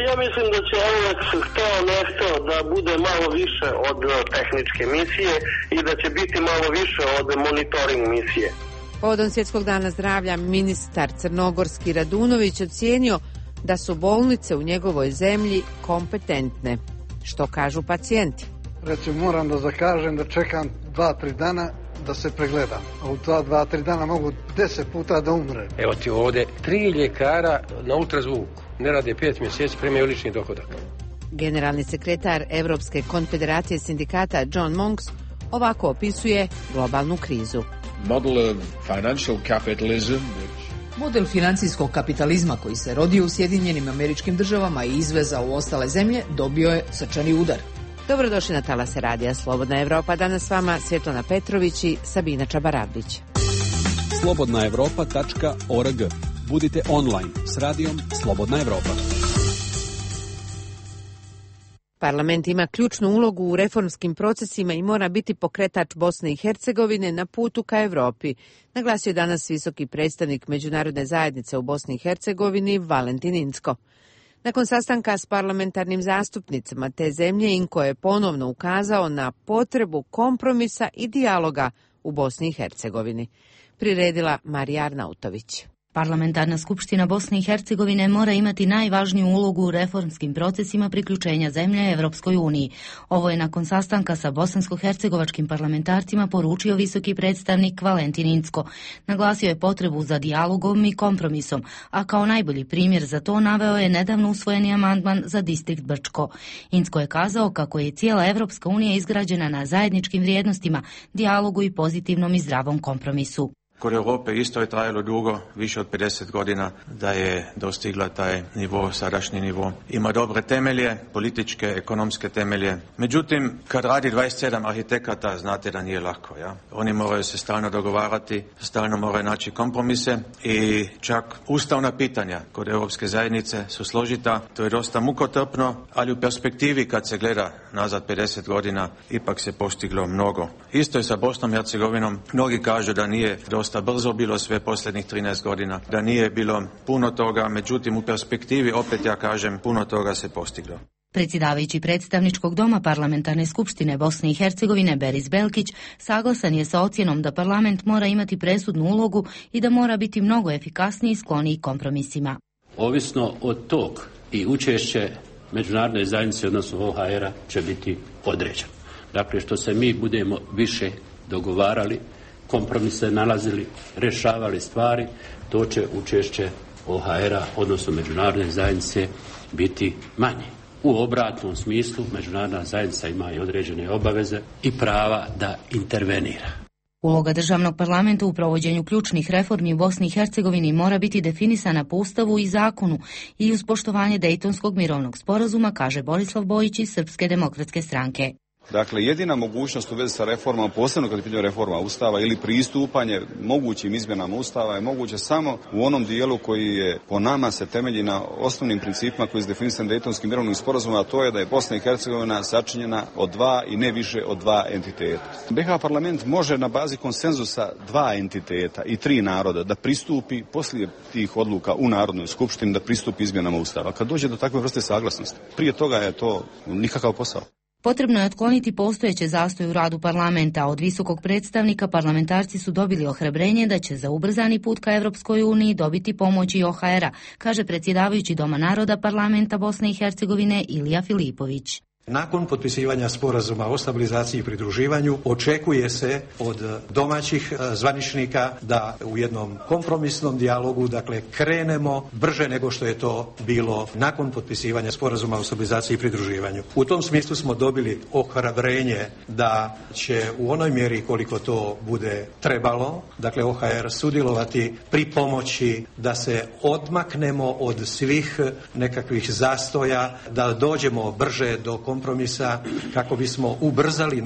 Speaker 9: Ja mislim da će EULEX hteo ne hteo da bude malo više od tehničke misije i da će biti malo više od monitoring misije.
Speaker 1: Povodom Svjetskog dana zdravlja ministar crnogorski Radunović ocijenio da su bolnice u njegovoj zemlji kompetentne. Što kažu pacijenti?
Speaker 10: Recimo, moram da zakažem da čekam 2-3 dana da se pregledam. A u 2-3 dana mogu 10 puta da umrem.
Speaker 11: Evo ti ovdje 3 ljekara na ultrazvuku. Ne rade 5 mjeseci, primaju lični dohodak.
Speaker 1: Generalni sekretar Evropske konfederacije sindikata John Monks ovako opisuje globalnu krizu.
Speaker 12: Model financijskog kapitalizma koji se rodio u Sjedinjenim Američkim Državama i izvezao u ostale zemlje dobio je srčani udar.
Speaker 1: Dobrodošli na talase radija Slobodna Evropa. Danas s vama Svjetlana Petrović i Sabina Čabarabdić.
Speaker 26: slobodnaevropa.org. Budite online s radijom Slobodna Evropa.
Speaker 1: Parlament ima ključnu ulogu u reformskim procesima i mora biti pokretač Bosne i Hercegovine na putu ka Evropi, naglasio je danas visoki predstavnik Međunarodne zajednice u Bosni i Hercegovini Valentin Incko. Nakon sastanka s parlamentarnim zastupnicama te zemlje, Incko je ponovno ukazao na potrebu kompromisa i dijaloga u Bosni i Hercegovini. Priredila Marija Arnautović.
Speaker 14: Parlamentarna skupština Bosne i Hercegovine mora imati najvažniju ulogu u reformskim procesima priključenja zemlje Evropskoj uniji. Ovo je nakon sastanka sa bosansko-hercegovačkim parlamentarcima poručio visoki predstavnik Valentin Incko. Naglasio je potrebu za dijalogom i kompromisom, a kao najbolji primjer za to naveo je nedavno usvojeni amandman za distrikt Brčko. Incko je kazao kako je cijela Evropska unija izgrađena na zajedničkim vrijednostima, dijalogu i pozitivnom i zdravom kompromisu.
Speaker 8: Kod Europe isto je trajalo dugo, više od 50 godina, da je dostigla taj nivo, sadašnji nivo. Ima dobre temelje, političke, ekonomske temelje. Međutim, kad radi 27 arhitekata, znate da nije lako. Ja? Oni moraju se stalno dogovarati, stalno moraju naći kompromise i čak ustavna pitanja kod Europske zajednice su složita. To je dosta mukotrpno, ali u perspektivi kad se gleda nazad 50 godina, ipak se postiglo mnogo. Isto je sa Bosnom i Hercegovinom. Mnogi kažu da nije dosta brzo bilo sve posljednjih 13 godina, da nije bilo puno toga, međutim u perspektivi, opet ja kažem, puno toga se postiglo.
Speaker 14: Predsjedavajući predstavničkog doma Parlamentarne skupštine Bosne i Hercegovine Beris Belkić saglasan je sa ocjenom da parlament mora imati presudnu ulogu i da mora biti mnogo efikasniji i skloniji kompromisima.
Speaker 28: Ovisno od tog i učešće međunarodne zajednice, odnosno OHR-a, će biti određeno. Dakle, što se mi budemo više dogovarali, kompromise nalazili, rješavali stvari, to će učešće OHR-a, odnosno međunarodne zajednice, biti manje. U obratnom smislu, međunarodna zajednica ima i određene obaveze i prava da intervenira.
Speaker 14: Uloga državnog parlamenta u provođenju ključnih reformi u Bosni i Hercegovini mora biti definisana po Ustavu i zakonu i uz poštovanje Dejtonskog mirovnog sporazuma, kaže Borislav Bojić iz Srpske demokratske stranke.
Speaker 29: Dakle, jedina mogućnost u vezi sa reformama, posebno kad je pitanje reforma Ustava ili pristupanje mogućim izmjenama Ustava, je moguće samo u onom dijelu koji je po nama se temelji na osnovnim principima koji su definisani Dejtonskim mirovnim sporazumom, a to je da je Bosna i Hercegovina sačinjena od dva i ne više od dva entiteta. BiH parlament može na bazi konsenzusa dva entiteta i tri naroda da pristupi poslije tih odluka u Narodnoj skupštini da pristupi izmjenama Ustava. Kad dođe do takve vrste saglasnosti, prije toga je to nikakav posao.
Speaker 14: Potrebno je otkloniti postojeće zastoje u radu parlamenta. Od visokog predstavnika parlamentarci su dobili ohrabrenje da će za ubrzani put ka Evropskoj uniji dobiti pomoć i OHR-a, kaže predsjedavajući Doma naroda parlamenta Bosne i Hercegovine Ilija Filipović.
Speaker 6: Nakon potpisivanja sporazuma o stabilizaciji i pridruživanju očekuje se od domaćih zvaničnika da u jednom kompromisnom dijalogu, dakle, krenemo brže nego što je to bilo nakon potpisivanja sporazuma o stabilizaciji i pridruživanju. U tom smislu smo dobili ohrabrenje da će u onoj mjeri koliko to bude trebalo, dakle OHR sudjelovati pri pomoći da se odmaknemo od svih nekakvih zastoja, da dođemo brže do kompromisa kako bismo ubrzali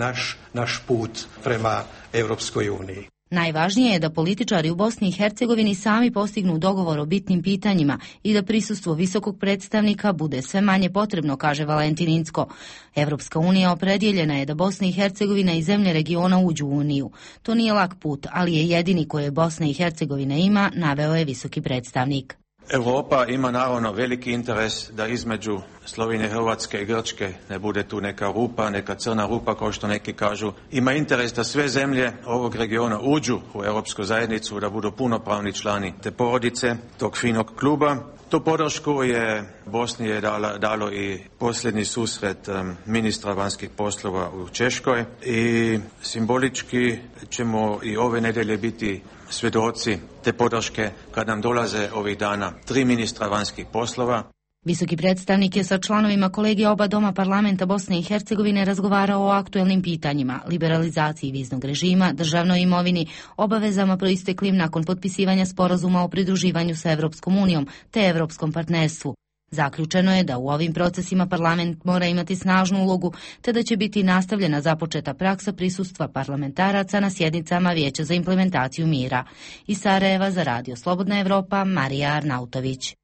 Speaker 6: naš put prema Europskoj uniji.
Speaker 14: Najvažnije je da političari u Bosni i Hercegovini sami postignu dogovor o bitnim pitanjima i da prisustvo visokog predstavnika bude sve manje potrebno, kaže Valentin Incko. Evropska unija opredjeljena je da Bosna i Hercegovina i zemlje regiona uđu u uniju. To nije lak put, ali je jedini koje Bosna i Hercegovina ima, naveo je visoki predstavnik.
Speaker 8: Europa ima naravno veliki interes da između Slovenije, Hrvatske i Grčke ne bude tu neka rupa, neka crna rupa kao što neki kažu. Ima interes da sve zemlje ovog regiona uđu u Europsku zajednicu, da budu punopravni člani te porodice, tog finog kluba. Tu podršku je Bosni dalo i posljednji susret ministra vanjskih poslova u Češkoj i simbolički ćemo i ove nedjelje biti svjedoci te podrške kad nam dolaze ovih dana 3 ministra vanjskih poslova.
Speaker 14: Visoki predstavnik je sa članovima kolegija oba doma parlamenta Bosne i Hercegovine razgovarao o aktuelnim pitanjima, liberalizaciji viznog režima, državnoj imovini, obavezama proisteklim nakon potpisivanja sporazuma o pridruživanju sa Evropskom unijom te evropskom partnerstvu. Zaključeno je da u ovim procesima parlament mora imati snažnu ulogu, te da će biti nastavljena započeta praksa prisustva parlamentaraca na sjednicama Vijeća za implementaciju mira. Iz Sarajeva za Radio Slobodna Evropa, Marija Arnautović.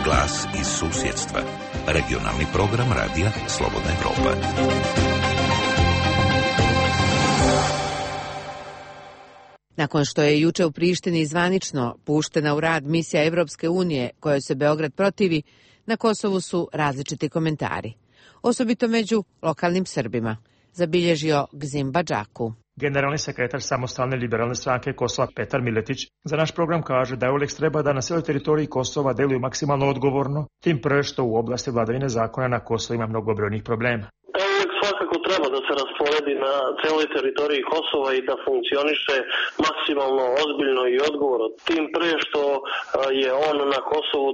Speaker 2: Glas iz susjedstva. Regionalni program Radija Slobodna Evropa.
Speaker 1: Nakon što je juče u Prištini zvanično puštena u rad misija Evropske unije kojoj se Beograd protivi, na Kosovu su različiti komentari. Osobito među lokalnim Srbima, zabilježio Gzim Badžaku.
Speaker 13: Generalni sekretar Samostalne liberalne stranke Kosova Petar Miletić za naš program kaže da EULEX treba da na cijeloj teritoriji Kosova deluju maksimalno odgovorno, tim pre što u oblasti vladavine zakona na Kosovu ima mnogobrojnih problema.
Speaker 9: EULEX svakako treba da se rasporedi na cijeloj teritoriji Kosova i da funkcioniše maksimalno ozbiljno i odgovorno, tim pre što je on na Kosovu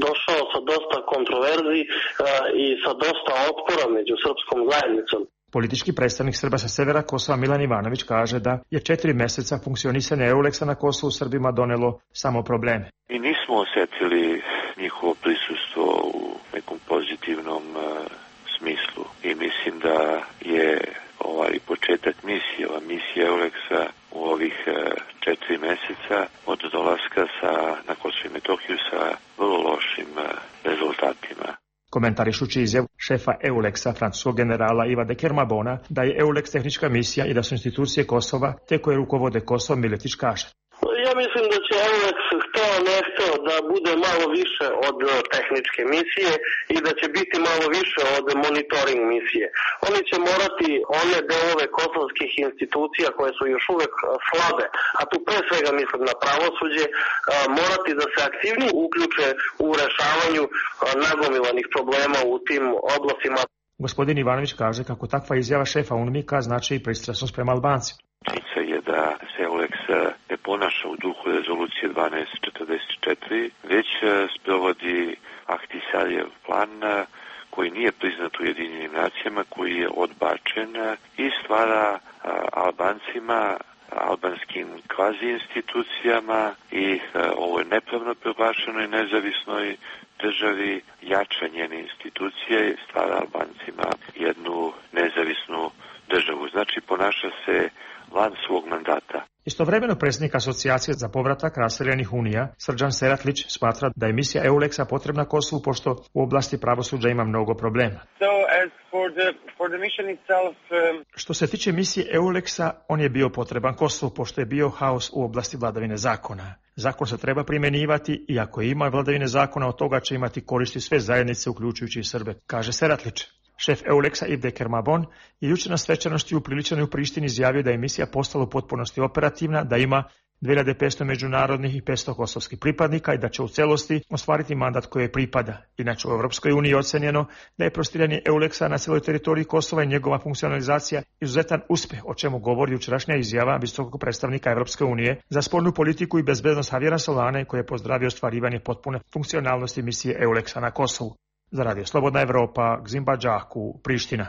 Speaker 9: došao sa dosta kontroverzi i sa dosta otpora među srpskom zajednicom.
Speaker 13: Politički predstavnik Srba sa severa Kosova Milan Ivanović kaže da je 4 mjeseca funkcionisanja EULEX-a na Kosovu Srbima donelo samo probleme.
Speaker 15: Mi nismo osjetili njihovo prisustvo u nekom pozitivnom smislu i mislim da je ovaj početak misije, ova misija EULEX-a u ovih 4 mjeseca od dolaska na Kosovo i Metohiju sa vrlo lošim rezultatima.
Speaker 13: Komentarišući izjavu šefa EULEX-a, francuskog generala Iva de Kermabona, da je EULEX tehnička misija i da su institucije Kosova te koje rukovode Kosovom, Miletić kaže.
Speaker 9: Ja mislim da će EULEX hteo ne hteo da bude malo više od tehničke misije i da će biti malo više od monitoring misije. Oni će morati one delove kosovskih institucija koje su još uvek slabe, a tu pre svega mislim na pravosuđe, morati da se aktivnije uključe u rešavanju nagomilanih problema u tim oblastima.
Speaker 13: Gospodin Ivanović kaže kako takva izjava šefa UNMIK-a znači i pristrasnost prema Albancima.
Speaker 15: Činjenica je da se EULEX ne ponaša u duhu rezolucije 1244, već sprovodi Ahtisarijev plan koji nije priznat u Ujedinjenim nacijama, koji je odbačen i stvara Albancima, albanskim kvazi institucijama i ovoj nepravno proglašenoj nezavisnoj državi jačanje institucije stvara Albancima jednu nezavisnu državu. Znači ponaša se van svog mandata.
Speaker 13: Istovremeno predsjednik Asocijacije za povratak raseljenih unija, Srđan Seratlić, smatra da je misija EULEX-a potrebna Kosovu pošto u oblasti pravosuđa ima mnogo problema. Što se tiče misije EULEX-a, on je bio potreban Kosovu pošto je bio haos u oblasti vladavine zakona. Zakon se treba primjenjivati i ako ima vladavine zakona, od toga će imati koristi sve zajednice, uključujući i Srbe, kaže Seratlić. Šef EULEX-a Yves de Kermabon je jučer na svečanosti upriličenoj u Prištini izjavio da je misija postala u potpunosti operativna, da ima 2500 međunarodnih i 500 kosovskih pripadnika i da će u celosti ostvariti mandat koji je pripada. Inače u Europskoj uniji je ocenjeno da je prostiranje EULEX-a na cijeloj teritoriji Kosova i njegova funkcionalizacija izuzetan uspjeh, o čemu govori jučerašnja izjava visokog predstavnika Europske unije za spoljnu politiku i bezbednost Javiera Solane, koji je pozdravio ostvarivanje potpune funkcionalnosti misije EULEX-a na Kosovu. Za Radio Slobodna Evropa, Gzimba Đaku, Priština.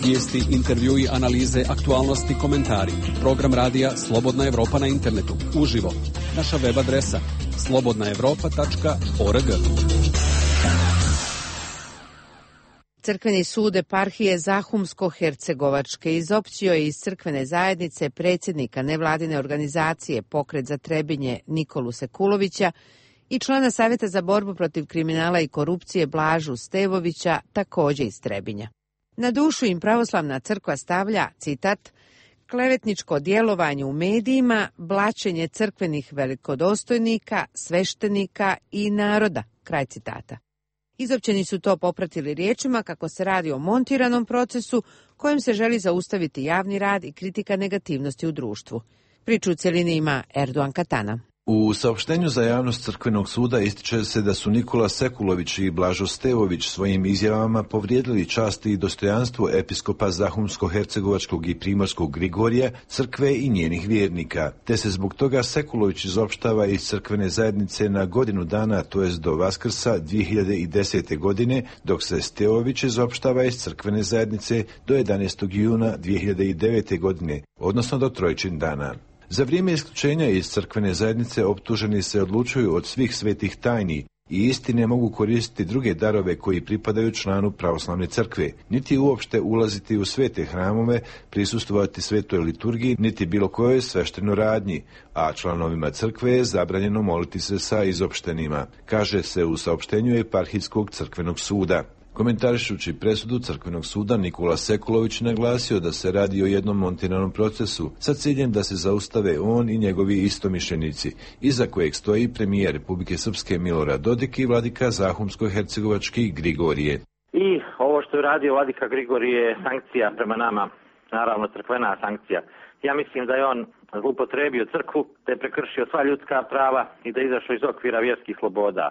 Speaker 26: Vijesti, intervjui, analize, aktualnosti, komentari. Program radija Slobodna Evropa na internetu. Uživo. Naša web adresa slobodnaevropa.org.
Speaker 1: Crkveni sud eparhije Zahumsko-Hercegovačke izopćio je iz crkvene zajednice predsjednika nevladine organizacije Pokret za Trebinje Nikolu Sekulovića i člana Savjeta za borbu protiv kriminala i korupcije Blažu Stevovića, također iz Trebinja. Na dušu im pravoslavna crkva stavlja, citat, klevetničko djelovanje u medijima, blaćenje crkvenih velikodostojnika, sveštenika i naroda, kraj citata. Izopćeni su to popratili riječima kako se radi o montiranom procesu kojim se želi zaustaviti javni rad i kritika negativnosti u društvu. Priču u cjelini ima Erdogan Katana.
Speaker 7: U saopštenju za javnost Crkvenog suda ističe se da su Nikola Sekulović i Blažo Stevović svojim izjavama povrijedili čast i dostojanstvo episkopa Zahumsko-Hercegovačkog i Primorskog Grigorija, crkve i njenih vjernika, te se zbog toga Sekulović izopštava iz crkvene zajednice na godinu dana, to jest do Vaskrsa 2010. godine, dok se Stevović izopštava iz crkvene zajednice do 11. juna 2009. godine, odnosno do Trojčin dana. Za vrijeme isključenja iz crkvene zajednice optuženi se odlučuju od svih svetih tajni i istine mogu koristiti druge darove koji pripadaju članu pravoslavne crkve, niti uopšte ulaziti u svete hramove, prisustvovati svetoj liturgiji, niti bilo kojoj sveštenoj radnji, a članovima crkve je zabranjeno moliti se sa izopštenima, kaže se u saopštenju Eparhijskog crkvenog suda. Komentarišući presudu Crkvenog suda, Nikola Sekulović naglasio da se radi o jednom montiranom procesu sa ciljem da se zaustave on i njegovi istomišljenici, iza kojeg stoji premijer Republike Srpske Milorad Dodik i vladika Zahumsko-Hercegovački Grigorije.
Speaker 16: I ovo što je radio vladika Grigorije je sankcija prema nama, naravno crkvena sankcija. Ja mislim da je on zloupotrebio crkvu, da je prekršio sva ljudska prava i da je izašao iz okvira vjerskih sloboda.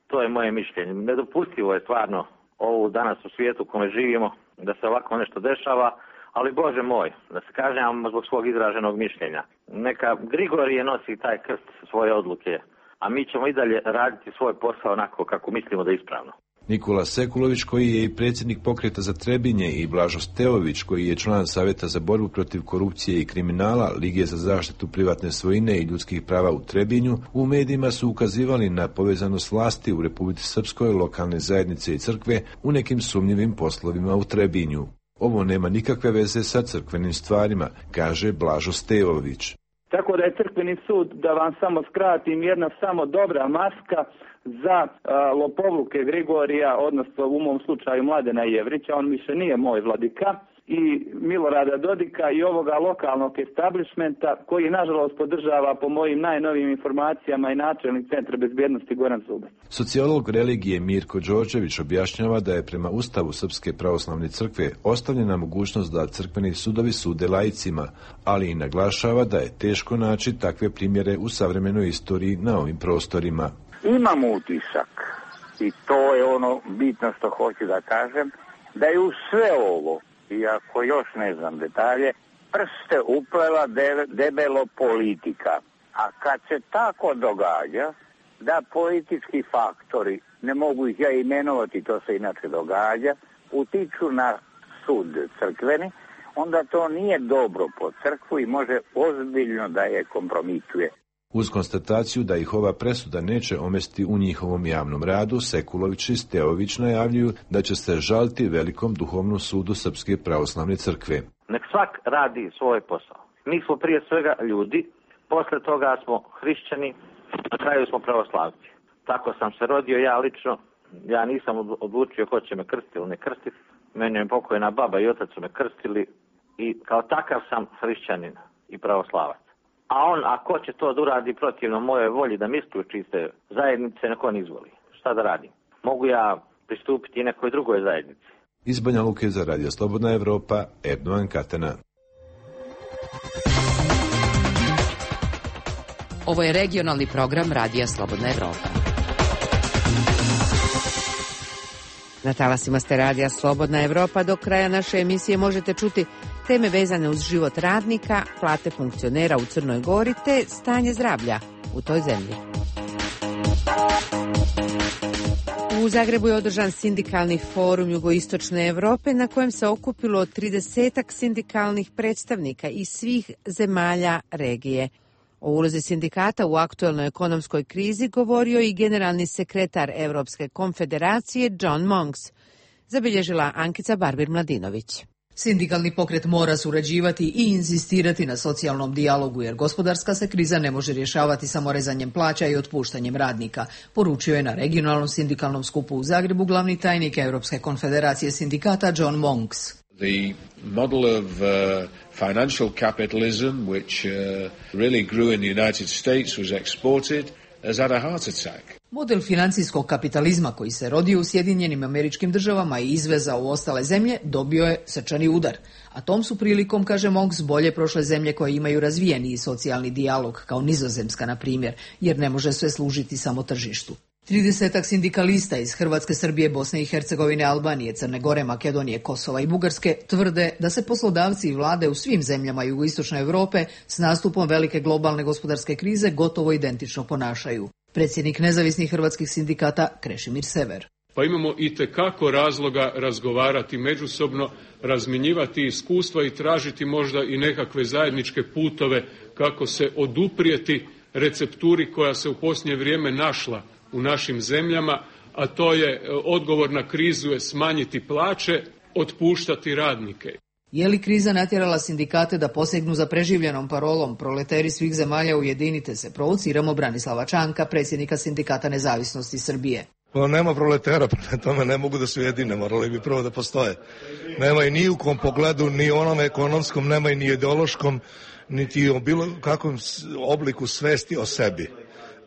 Speaker 16: To je moje mišljenje. Nedopustivo je stvarno ovo danas u svijetu u kome živimo, da se ovako nešto dešava, ali Bože moj, da se kažnjavamo zbog svog izraženog mišljenja. Neka Grigorije nosi taj krst svoje odluke, a mi ćemo i dalje raditi svoj posao onako kako mislimo da je ispravno.
Speaker 7: Nikola Sekulović, koji je i predsjednik Pokreta za Trebinje, i Blažo Stevović, koji je član Savjeta za borbu protiv korupcije i kriminala, Lige za zaštitu privatne svojine i ljudskih prava u Trebinju, u medijima su ukazivali na povezanost vlasti u Republici Srpskoj, lokalne zajednice i crkve u nekim sumnjivim poslovima u Trebinju. Ovo nema nikakve veze sa crkvenim stvarima, kaže Blažo Stevović.
Speaker 17: Tako da je crkveni sud, da vam samo skratim, jedna samo dobra maska za lopovluke Grigorija, odnosno u mom slučaju Mladena Jevrića, on više nije moj vladika, i Milorada Dodika i ovoga lokalnog establishmenta koji nažalost podržava po mojim najnovijim informacijama i načelnik Centra bezbjednosti Goran Zubac.
Speaker 7: Sociolog religije Mirko Đorđević objašnjava da je prema Ustavu Srpske pravoslavne crkve ostavljena mogućnost da crkveni sudovi sude laicima, ali i naglašava da je teško naći takve primjere u savremenoj istoriji na ovim prostorima.
Speaker 18: Imam utisak, i to je ono bitno što hoću da kažem, da je u sve ovo, iako još ne znam detalje, prste uplela debelo politika. A kad se tako događa, da politički faktori, ne mogu ih ja imenovati, to se inače događa, utiču na sud crkveni, onda to nije dobro po crkvu i može ozbiljno da je kompromituje.
Speaker 7: Uz konstataciju da ih ova presuda neće omesti u njihovom javnom radu, Sekulović i Stevović najavljuju da će se žaliti Velikom duhovnom sudu Srpske pravoslavne crkve.
Speaker 16: Nek svak radi svoj posao. Mi smo prije svega ljudi, posle toga smo hrišćani, na kraju smo pravoslavci. Tako sam se rodio ja lično, ja nisam odlučio ko će me krstiti ili ne krstiti. Meni je pokojna baba i otac su me krstili i kao takav sam hrišćanin i pravoslavac. A on, ako će to da uradi protivno moje volji da mi isključi iz te zajednice, neko on izvoli. Šta da radim? Mogu ja pristupiti i nekoj drugoj zajednici.
Speaker 7: Iz Banja Luke za Radio Slobodna Evropa, Erdogan Katana.
Speaker 3: Ovo je regionalni program Radija Slobodna Evropa.
Speaker 1: Na talasima ste Radija Slobodna Evropa. Do kraja naše emisije možete čuti teme vezane uz život radnika, plate funkcionera u Crnoj Gori te stanje zdravlja u toj zemlji. U Zagrebu je održan sindikalni forum Jugoistočne Evrope na kojem se okupilo 30 sindikalnih predstavnika iz svih zemalja regije. O ulozi sindikata u aktuelnoj ekonomskoj krizi govorio i generalni sekretar Evropske konfederacije John Monks, zabilježila Ankica Barbir-Mladinović.
Speaker 12: Sindikalni pokret mora surađivati i insistirati na socijalnom dijalogu, jer gospodarska se kriza ne može rješavati samo rezanjem plaća i otpuštanjem radnika, poručio je na regionalnom sindikalnom skupu u Zagrebu glavni tajnik Europske konfederacije sindikata John Monks.
Speaker 5: The model of financial capitalism, which really grew in the United States, was exported, has had a heart attack.
Speaker 12: Model financijskog kapitalizma koji se rodio u Sjedinjenim Američkim Državama i izvezao u ostale zemlje dobio je srčani udar. A tom su prilikom, kaže Monks, bolje prošle zemlje koje imaju razvijeniji socijalni dijalog, kao Nizozemska, na primjer, jer ne može sve služiti samo tržištu. 30 sindikalista iz Hrvatske, Srbije, Bosne i Hercegovine, Albanije, Crne Gore, Makedonije, Kosova i Bugarske tvrde da se poslodavci i vlade u svim zemljama jugoistočne Europe s nastupom velike globalne gospodarske krize gotovo identično ponašaju. Predsjednik nezavisnih hrvatskih sindikata Krešimir Sever.
Speaker 19: Pa imamo itekako razloga razgovarati međusobno, razmjenjivati iskustva i tražiti možda i nekakve zajedničke putove kako se oduprijeti recepturi koja se u posljednje vrijeme našla u našim zemljama, a to je odgovor na krizu je smanjiti plaće, otpuštati radnike.
Speaker 12: Je li kriza natjerala sindikate da posegnu za preživljenom parolom proleteri svih zemalja ujedinite se? Provociramo Branislava Čanka, predsjednika Sindikata nezavisnosti Srbije.
Speaker 20: Pa nema proletera, prema tome ne mogu da se ujedine, morali bi prvo da postoje. Nema i ni u kom pogledu, ni onom ekonomskom, nema i ni ideološkom, niti o bilo kakvom obliku svesti o sebi.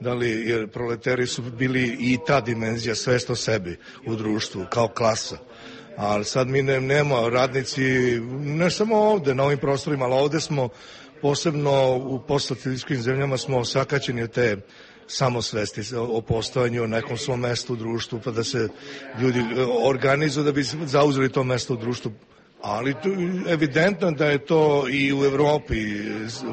Speaker 20: Da li, jer proleteri su bili i ta dimenzija, svest o sebi u društvu, kao klasa. Ali sad mi nema radnici, ne samo ovde, na ovim prostorima, ali ovde smo posebno u postsocialističkim zemljama smo osakaćeni od te samosvesti o postojanju u nekom svom mestu u društvu, pa da se ljudi organizuju da bi zauzeli to mesto u društvu. Ali evidentno da je to i u Evropi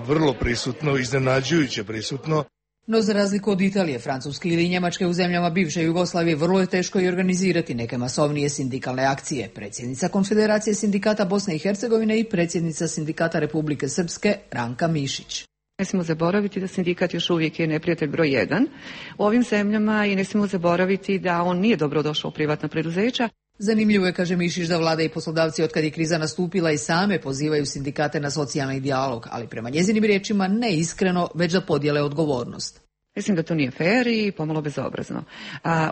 Speaker 20: vrlo prisutno, iznenađujuće prisutno.
Speaker 12: No za razliku od Italije, Francuske ili Njemačke, u zemljama bivše Jugoslavije vrlo je teško i organizirati neke masovnije sindikalne akcije. Predsjednica Konfederacije sindikata Bosne i Hercegovine i predsjednica Sindikata Republike Srpske Ranka Mišić.
Speaker 21: Ne smijemo zaboraviti da sindikat još uvijek je neprijatelj broj 1 u ovim zemljama i ne smijemo zaboraviti da on nije dobro došao u privatna preduzeća.
Speaker 12: Zanimljivo je, kaže Mišić, da vlada i poslodavci otkad je kriza nastupila i same pozivaju sindikate na socijalni dijalog, ali prema njezinim riječima ne iskreno, već da podijele odgovornost.
Speaker 21: Mislim da to nije fair i pomalo bezobrazno.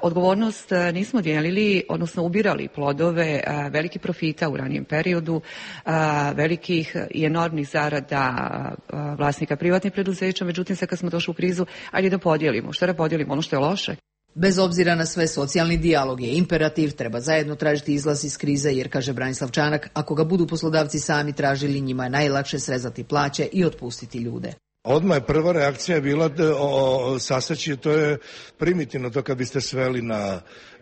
Speaker 21: Odgovornost nismo dijelili, odnosno ubirali plodove velikih profita u ranijem periodu, velikih i enormnih zarada vlasnika privatnih preduzeća, međutim sad kad smo došli u krizu, ajde da podijelimo. Što da podijelimo? Ono što je loše?
Speaker 12: Bez obzira na sve, socijalni dijalog je imperativ, treba zajedno tražiti izlaz iz krize, jer, kaže Branislav Čanak, ako ga budu poslodavci sami tražili, njima je najlakše srezati plaće i otpustiti ljude.
Speaker 20: Odmah je prva reakcija bila saseći, to je primitivno, to kad biste sveli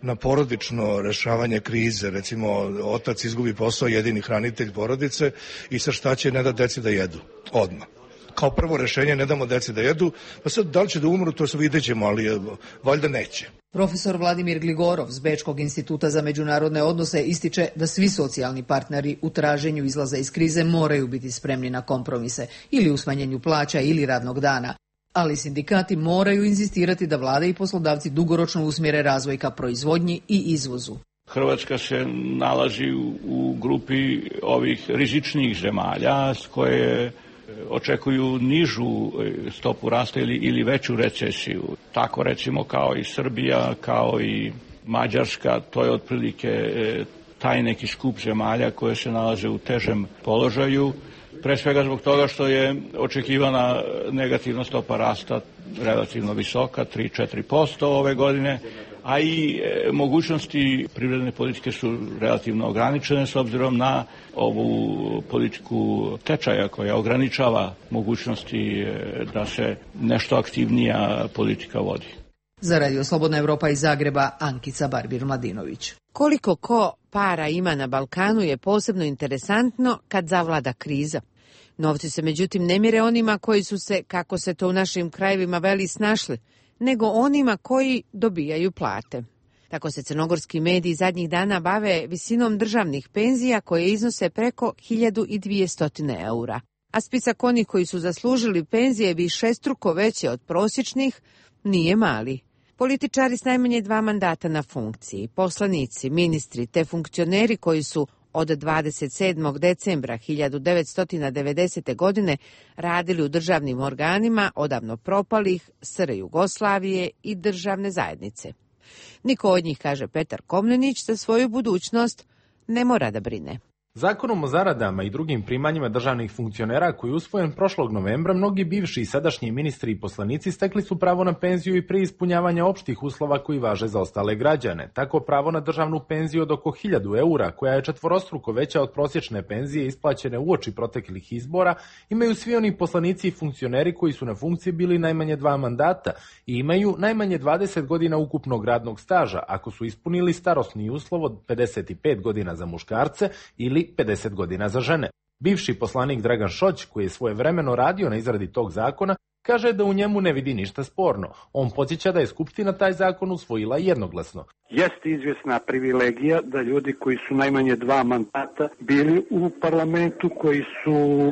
Speaker 20: na porodično rešavanje krize, recimo otac izgubi posao, jedini hranitelj porodice i sa šta će, ne da deci da jedu, odmah. Kao prvo rešenje, ne damo deci da jedu, pa sad da li će da umru, to se vidjet ćemo, ali valjda neće.
Speaker 12: Profesor Vladimir Gligorov s Bečkog instituta za međunarodne odnose ističe da svi socijalni partneri u traženju izlaza iz krize moraju biti spremni na kompromise ili u smanjenju plaća ili radnog dana. Ali sindikati moraju inzistirati da vlade i poslodavci dugoročno usmjere razvoj ka proizvodnji i izvozu.
Speaker 22: Hrvatska se nalazi u grupi ovih rizičnijih zemalja koje očekuju nižu stopu rasta ili veću recesiju. Tako recimo kao i Srbija, kao i Mađarska, to je otprilike taj neki skup zemalja koje se nalaze u težem položaju. Pre svega zbog toga što je očekivana negativna stopa rasta relativno visoka, 3-4% ove godine, a i mogućnosti privredne politike su relativno ograničene s obzirom na ovu politiku tečaja koja ograničava mogućnosti da se nešto aktivnija politika vodi.
Speaker 12: Za Radio Slobodna Evropa iz Zagreba, Ankica Barbir-Mladinović.
Speaker 1: Koliko ko para ima na Balkanu je posebno interesantno kad zavlada kriza. Novci se međutim ne mjere onima koji su se, kako se to u našim krajevima veli, snašli, nego onima koji dobijaju plate. Tako se crnogorski mediji zadnjih dana bave visinom državnih penzija koje iznose preko 1200 eura. A spisak onih koji su zaslužili penzije višestruko veće od prosječnih nije mali. Političari s najmanje 2 mandata na funkciji, poslanici, ministri te funkcioneri koji su od 27. decembra 1990. godine radili u državnim organima odavno propalih SR Jugoslavije i državne zajednice. Niko od njih, kaže Petar Komnenić, za svoju budućnost ne mora da brine.
Speaker 4: Zakonom o zaradama i drugim primanjima državnih funkcionera koji je usvojen prošlog novembra, mnogi bivši i sadašnji ministri i poslanici stekli su pravo na penziju i prije ispunjavanja opštih uslova koji važe za ostale građane. Tako pravo na državnu penziju od oko 1000 eura, koja je četvorostruko veća od prosječne penzije isplaćene uoči proteklih izbora, imaju svi oni poslanici i funkcioneri koji su na funkciji bili najmanje 2 mandata i imaju najmanje 20 godina ukupnog radnog staža, ako su ispunili starosni uslov od 55 godina za muškarce ili 50 godina za žene. Bivši poslanik Dragan Šoć, koji je svojevremeno radio na izradi tog zakona, kaže da u njemu ne vidi ništa sporno. On podsjeća da je Skupština taj zakon usvojila jednoglasno.
Speaker 10: Jeste izvjesna privilegija da ljudi koji su najmanje 2 mandata bili u parlamentu, koji su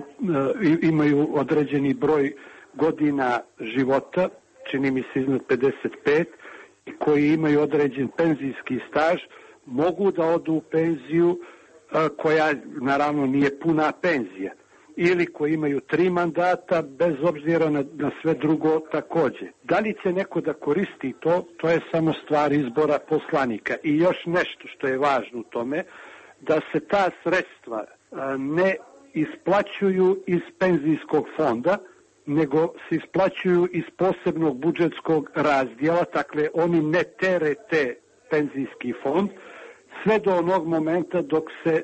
Speaker 10: imaju određeni broj godina života, čini mi se iznad 55, i koji imaju određen penzijski staž, mogu da odu u penziju koja naravno nije puna penzija, ili koji imaju 3 mandata, bez obzira na sve drugo također. Da li će neko da koristi to je samo stvar izbora poslanika. I još nešto što je važno u tome, da se ta sredstva ne isplaćuju iz penzijskog fonda, nego se isplaćuju iz posebnog budžetskog razdjela, dakle oni ne terete penzijski fond, sve do onog momenta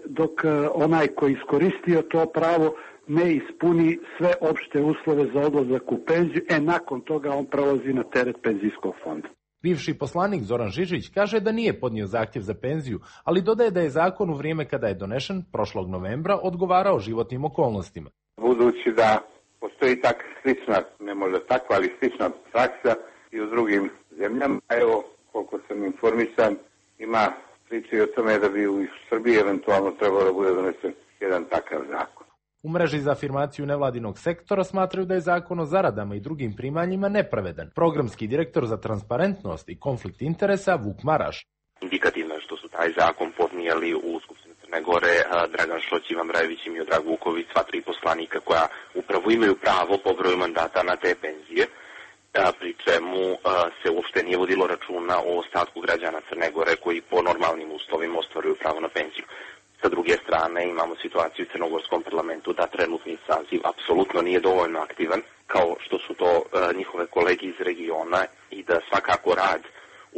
Speaker 10: dok onaj koji iskoristio to pravo ne ispuni sve opšte uslove za odlazak u penziju, nakon toga on prelazi na teret penzijskog fonda.
Speaker 4: Bivši poslanik Zoran Žižić kaže da nije podnio zahtjev za penziju, ali dodaje da je zakon u vrijeme kada je donešen, prošlog novembra, odgovarao životnim okolnostima.
Speaker 18: Budući da postoji tak slična, ne možda takva, ali slična praksa i u drugim zemljama, evo, koliko sam informisan, ima priče o tome da bi u Srbiji eventualno trebalo da bude donesen jedan takav zakon.
Speaker 4: U mreži za afirmaciju nevladinog sektora smatraju da je zakon o zaradama i drugim primanjima nepravedan. Programski direktor za transparentnost i konflikt interesa Vuk Maraš.
Speaker 11: Indikativno je što su taj zakon podnijeli u Skupštini Crne Gore Dragan Šoć, Ivan Brajević i Miodrag Vuković, sva 3 poslanika koja upravo imaju pravo po broju mandata na te penzije, pri čemu se uopšte nije vodilo računa o ostatku građana Crne Gore koji po normalnim uslovima ostvaruju pravo na penziju. Sa druge strane imamo situaciju u crnogorskom parlamentu da trenutni saziv apsolutno nije dovoljno aktivan kao što su to njihove kolege iz regiona i da svakako rad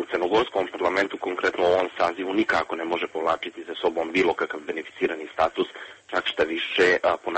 Speaker 11: u crnogorskom parlamentu, konkretno u ovom sazivu, nikako ne može povlačiti za sobom bilo kakav beneficirani status, čak šta više po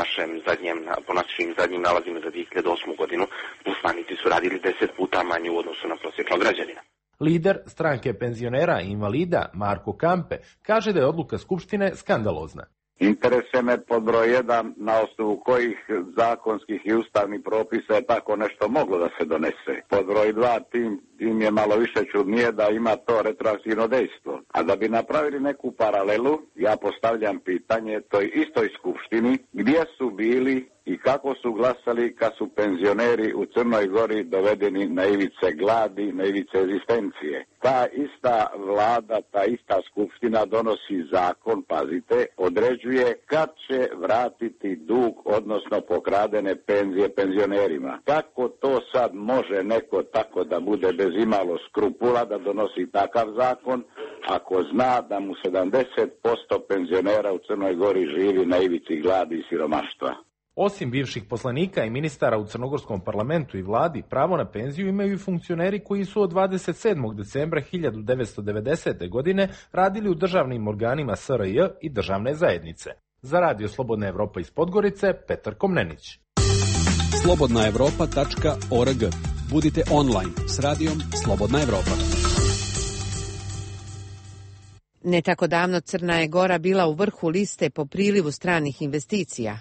Speaker 11: našim zadnjim nalazima za 2008. godinu poslanici su radili 10 puta manje u odnosu na prosječnog građanina.
Speaker 4: Lider stranke penzionera i invalida Marko Kampe kaže da je odluka Skupštine skandalozna.
Speaker 18: Interese me pod broj 1 na osnovu kojih zakonskih i ustavnih propisa je tako nešto moglo da se donese. Pod broj 2 tim je malo više čudnije da ima to retroaktivno dejstvo. A da bi napravili neku paralelu, ja postavljam pitanje toj istoj Skupštini gdje su bili i kako su glasali kad su penzioneri u Crnoj Gori dovedeni na ivice gladi, na ivice egzistencije. Ta ista vlada, ta ista Skupština donosi zakon, pazite, određuje kad će vratiti dug, odnosno pokradene penzije penzionerima. Kako to sad može neko tako da bude bez imalo skrupula da donosi takav zakon, ako zna da mu 70% penzionera u Crnoj Gori živi na ivici gladi i siromaštva?
Speaker 4: Osim bivših poslanika i ministara u crnogorskom parlamentu i vladi, pravo na penziju imaju i funkcioneri koji su od 27. decembra 1990. godine radili u državnim organima SRJ i državne zajednice. Za Radio Slobodna Evropa iz Podgorice, Petar Komnenić.
Speaker 26: slobodnaevropa.org. Budite online s radijom Slobodna Evropa.
Speaker 1: Ne tako davno Crna je Gora bila u vrhu liste po prilivu stranih investicija.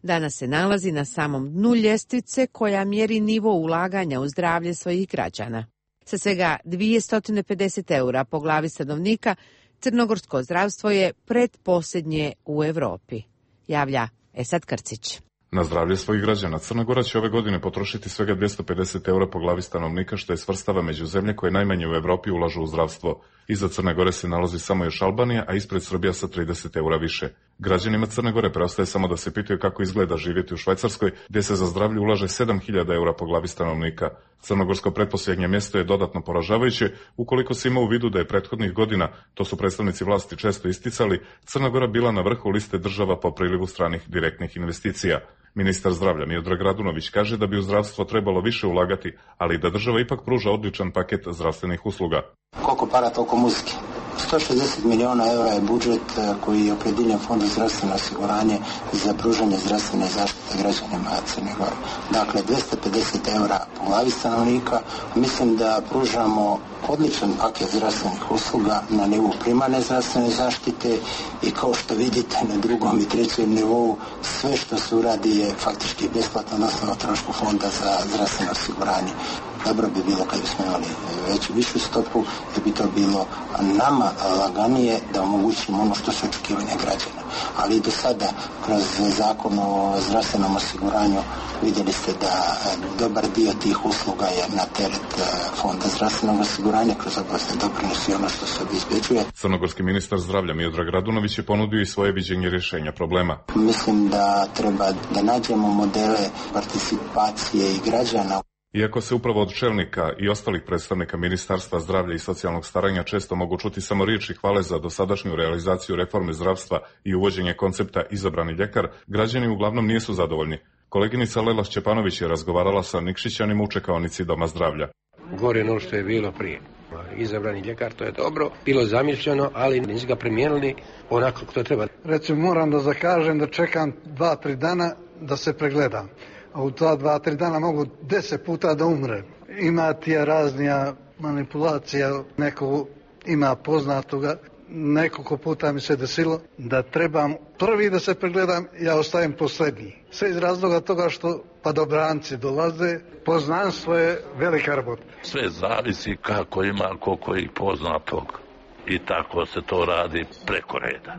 Speaker 1: Danas se nalazi na samom dnu ljestvice koja mjeri nivo ulaganja u zdravlje svojih građana. Sa svega 250 eura po glavi stanovnika, crnogorsko zdravstvo je pretposljednje u Evropi, javlja Esad Krcić.
Speaker 6: Na zdravlje svojih građana Crna Gora će ove godine potrošiti svega 250 eura po glavi stanovnika, što je svrstava među zemlje koje najmanje u Evropi ulažu u zdravstvo. Iza Crne Gore se nalazi samo još Albanija, a ispred Srbija sa 30 eura više. Građanima Crne Gore preostaje samo da se pitaju kako izgleda živjeti u Švajcarskoj, gdje se za zdravlje ulaže 7000 eura po glavi stanovnika. Crnogorsko pretposljednje mjesto je dodatno poražavajuće, ukoliko se ima u vidu da je prethodnih godina, to su predstavnici vlasti često isticali, Crna Gora bila na vrhu liste država po prilivu stranih direktnih investicija. Ministar zdravlja Miodrag Radunović kaže da bi u zdravstvo trebalo više ulagati, ali da država ipak pruža odličan paket zdravstvenih usluga.
Speaker 8: Koliko para, toliko muzike. 160 miliona eura je budžet koji je opredjeljen Fondu zdravstveno osiguranje za pružanje zdravstvene zaštite građanima Crne Gore. Dakle, 250 eura po glavi stanovnika. Mislim da pružamo odličan paket zdravstvenih usluga na nivou primarne zdravstvene zaštite i kao što vidite na drugom i trećem nivou sve što se uradi je faktički besplatno na osnovu trošku Fonda za zdravstveno osiguranje. Dobro bi bilo kad bismo imali višu stopu, jer bi to bilo nama laganije da omogućimo ono što su očekivanja građana. Ali i do sada, kroz zakon o zdravstvenom osiguranju, vidjeli ste da dobar dio tih usluga je na teret Fonda zdravstvenog osiguranja kroz obvezne doprinose i ono što se obezbeđuje.
Speaker 6: Crnogorski ministar zdravlja Miodrag Radunović je ponudio i svoje viđenje rješenja problema.
Speaker 8: Mislim da treba da nađemo modele participacije i građana.
Speaker 6: Iako se upravo od čelnika i ostalih predstavnika Ministarstva zdravlja i socijalnog staranja često mogu čuti samo riječi hvale za dosadašnju realizaciju reforme zdravstva i uvođenje koncepta izabrani ljekar, građani uglavnom nisu zadovoljni. Koleginica Lela Šćepanović je razgovarala sa Nikšićanima u čekaonici Doma zdravlja.
Speaker 14: Gore ono što je bilo prije. Izabrani ljekar, to je dobro, bilo zamišljeno, ali nisu ga primijenili onako kako to treba.
Speaker 23: Recimo, moram da zakažem da čekam 2-3 dana da se pregledam. A u ta 2-3 dana mogu 10 puta da umre. Ima tija raznija manipulacija, neko ima poznatoga. Nekoliko puta mi se desilo da trebam prvi da se pregledam, ja ostajem posljednji. Sve iz razloga toga što padobranci dolaze, poznanstvo je velika rabota.
Speaker 24: Sve zavisi kako ima koliko i poznatog i tako se to radi preko reda.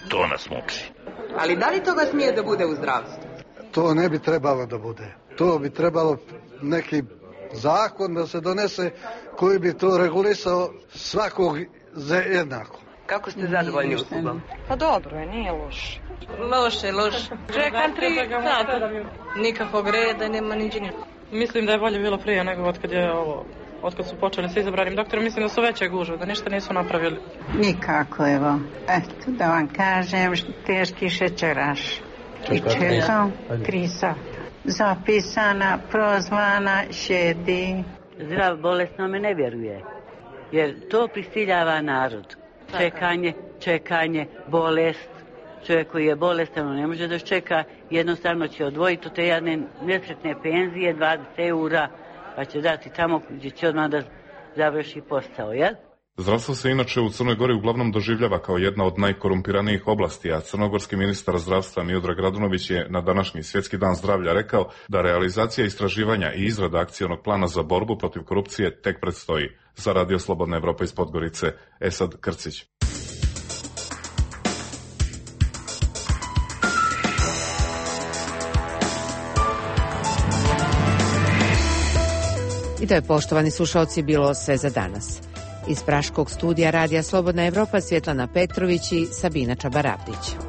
Speaker 24: To nas muči.
Speaker 25: Ali da li toga smije da bude u zdravstvu?
Speaker 23: To ne bi trebalo da bude. To bi trebalo neki zakon da se donese koji bi to regulisao svakog za jednako.
Speaker 25: Kako ste zadovoljni uslugom?
Speaker 27: Pa dobro je, nije loše.
Speaker 25: Loše. Čekam 3 sata. Nikakvog reda, nema niđenja.
Speaker 27: Mislim da je bolje bilo prije nego otkad su počeli sa izabranim doktorom. Mislim da su veće gužve, da ništa nisu napravili.
Speaker 28: Nikako, evo. Eto, da vam kažem, teški šećeraš. I čekam 3 sata. Zapisana, prozvana, šedi.
Speaker 29: Zdrav bolesnome ne vjeruje, jer to prisiljava narod. Čekanje, bolest. Čovjek koji je bolestan, on ne može da čeka, jednostavno će odvojiti od te jedne nesretne penzije 20 eura, pa će dati tamo gdje će odmah da završi posao, jel?
Speaker 6: Zdravstvo se inače u Crnoj Gori uglavnom doživljava kao jedna od najkorumpiranijih oblasti, a crnogorski ministar zdravstva Miodrag Radunović je na današnji Svjetski dan zdravlja rekao da realizacija istraživanja i izrada akcionog plana za borbu protiv korupcije tek predstoji. Za Radio Slobodna Evropa iz Podgorice, Esad Krcić.
Speaker 1: I to je, poštovani slušalci, bilo sve za danas. Iz praškog studija Radija Slobodna Evropa Svjetlana Petrović i Sabina Čabarabdić.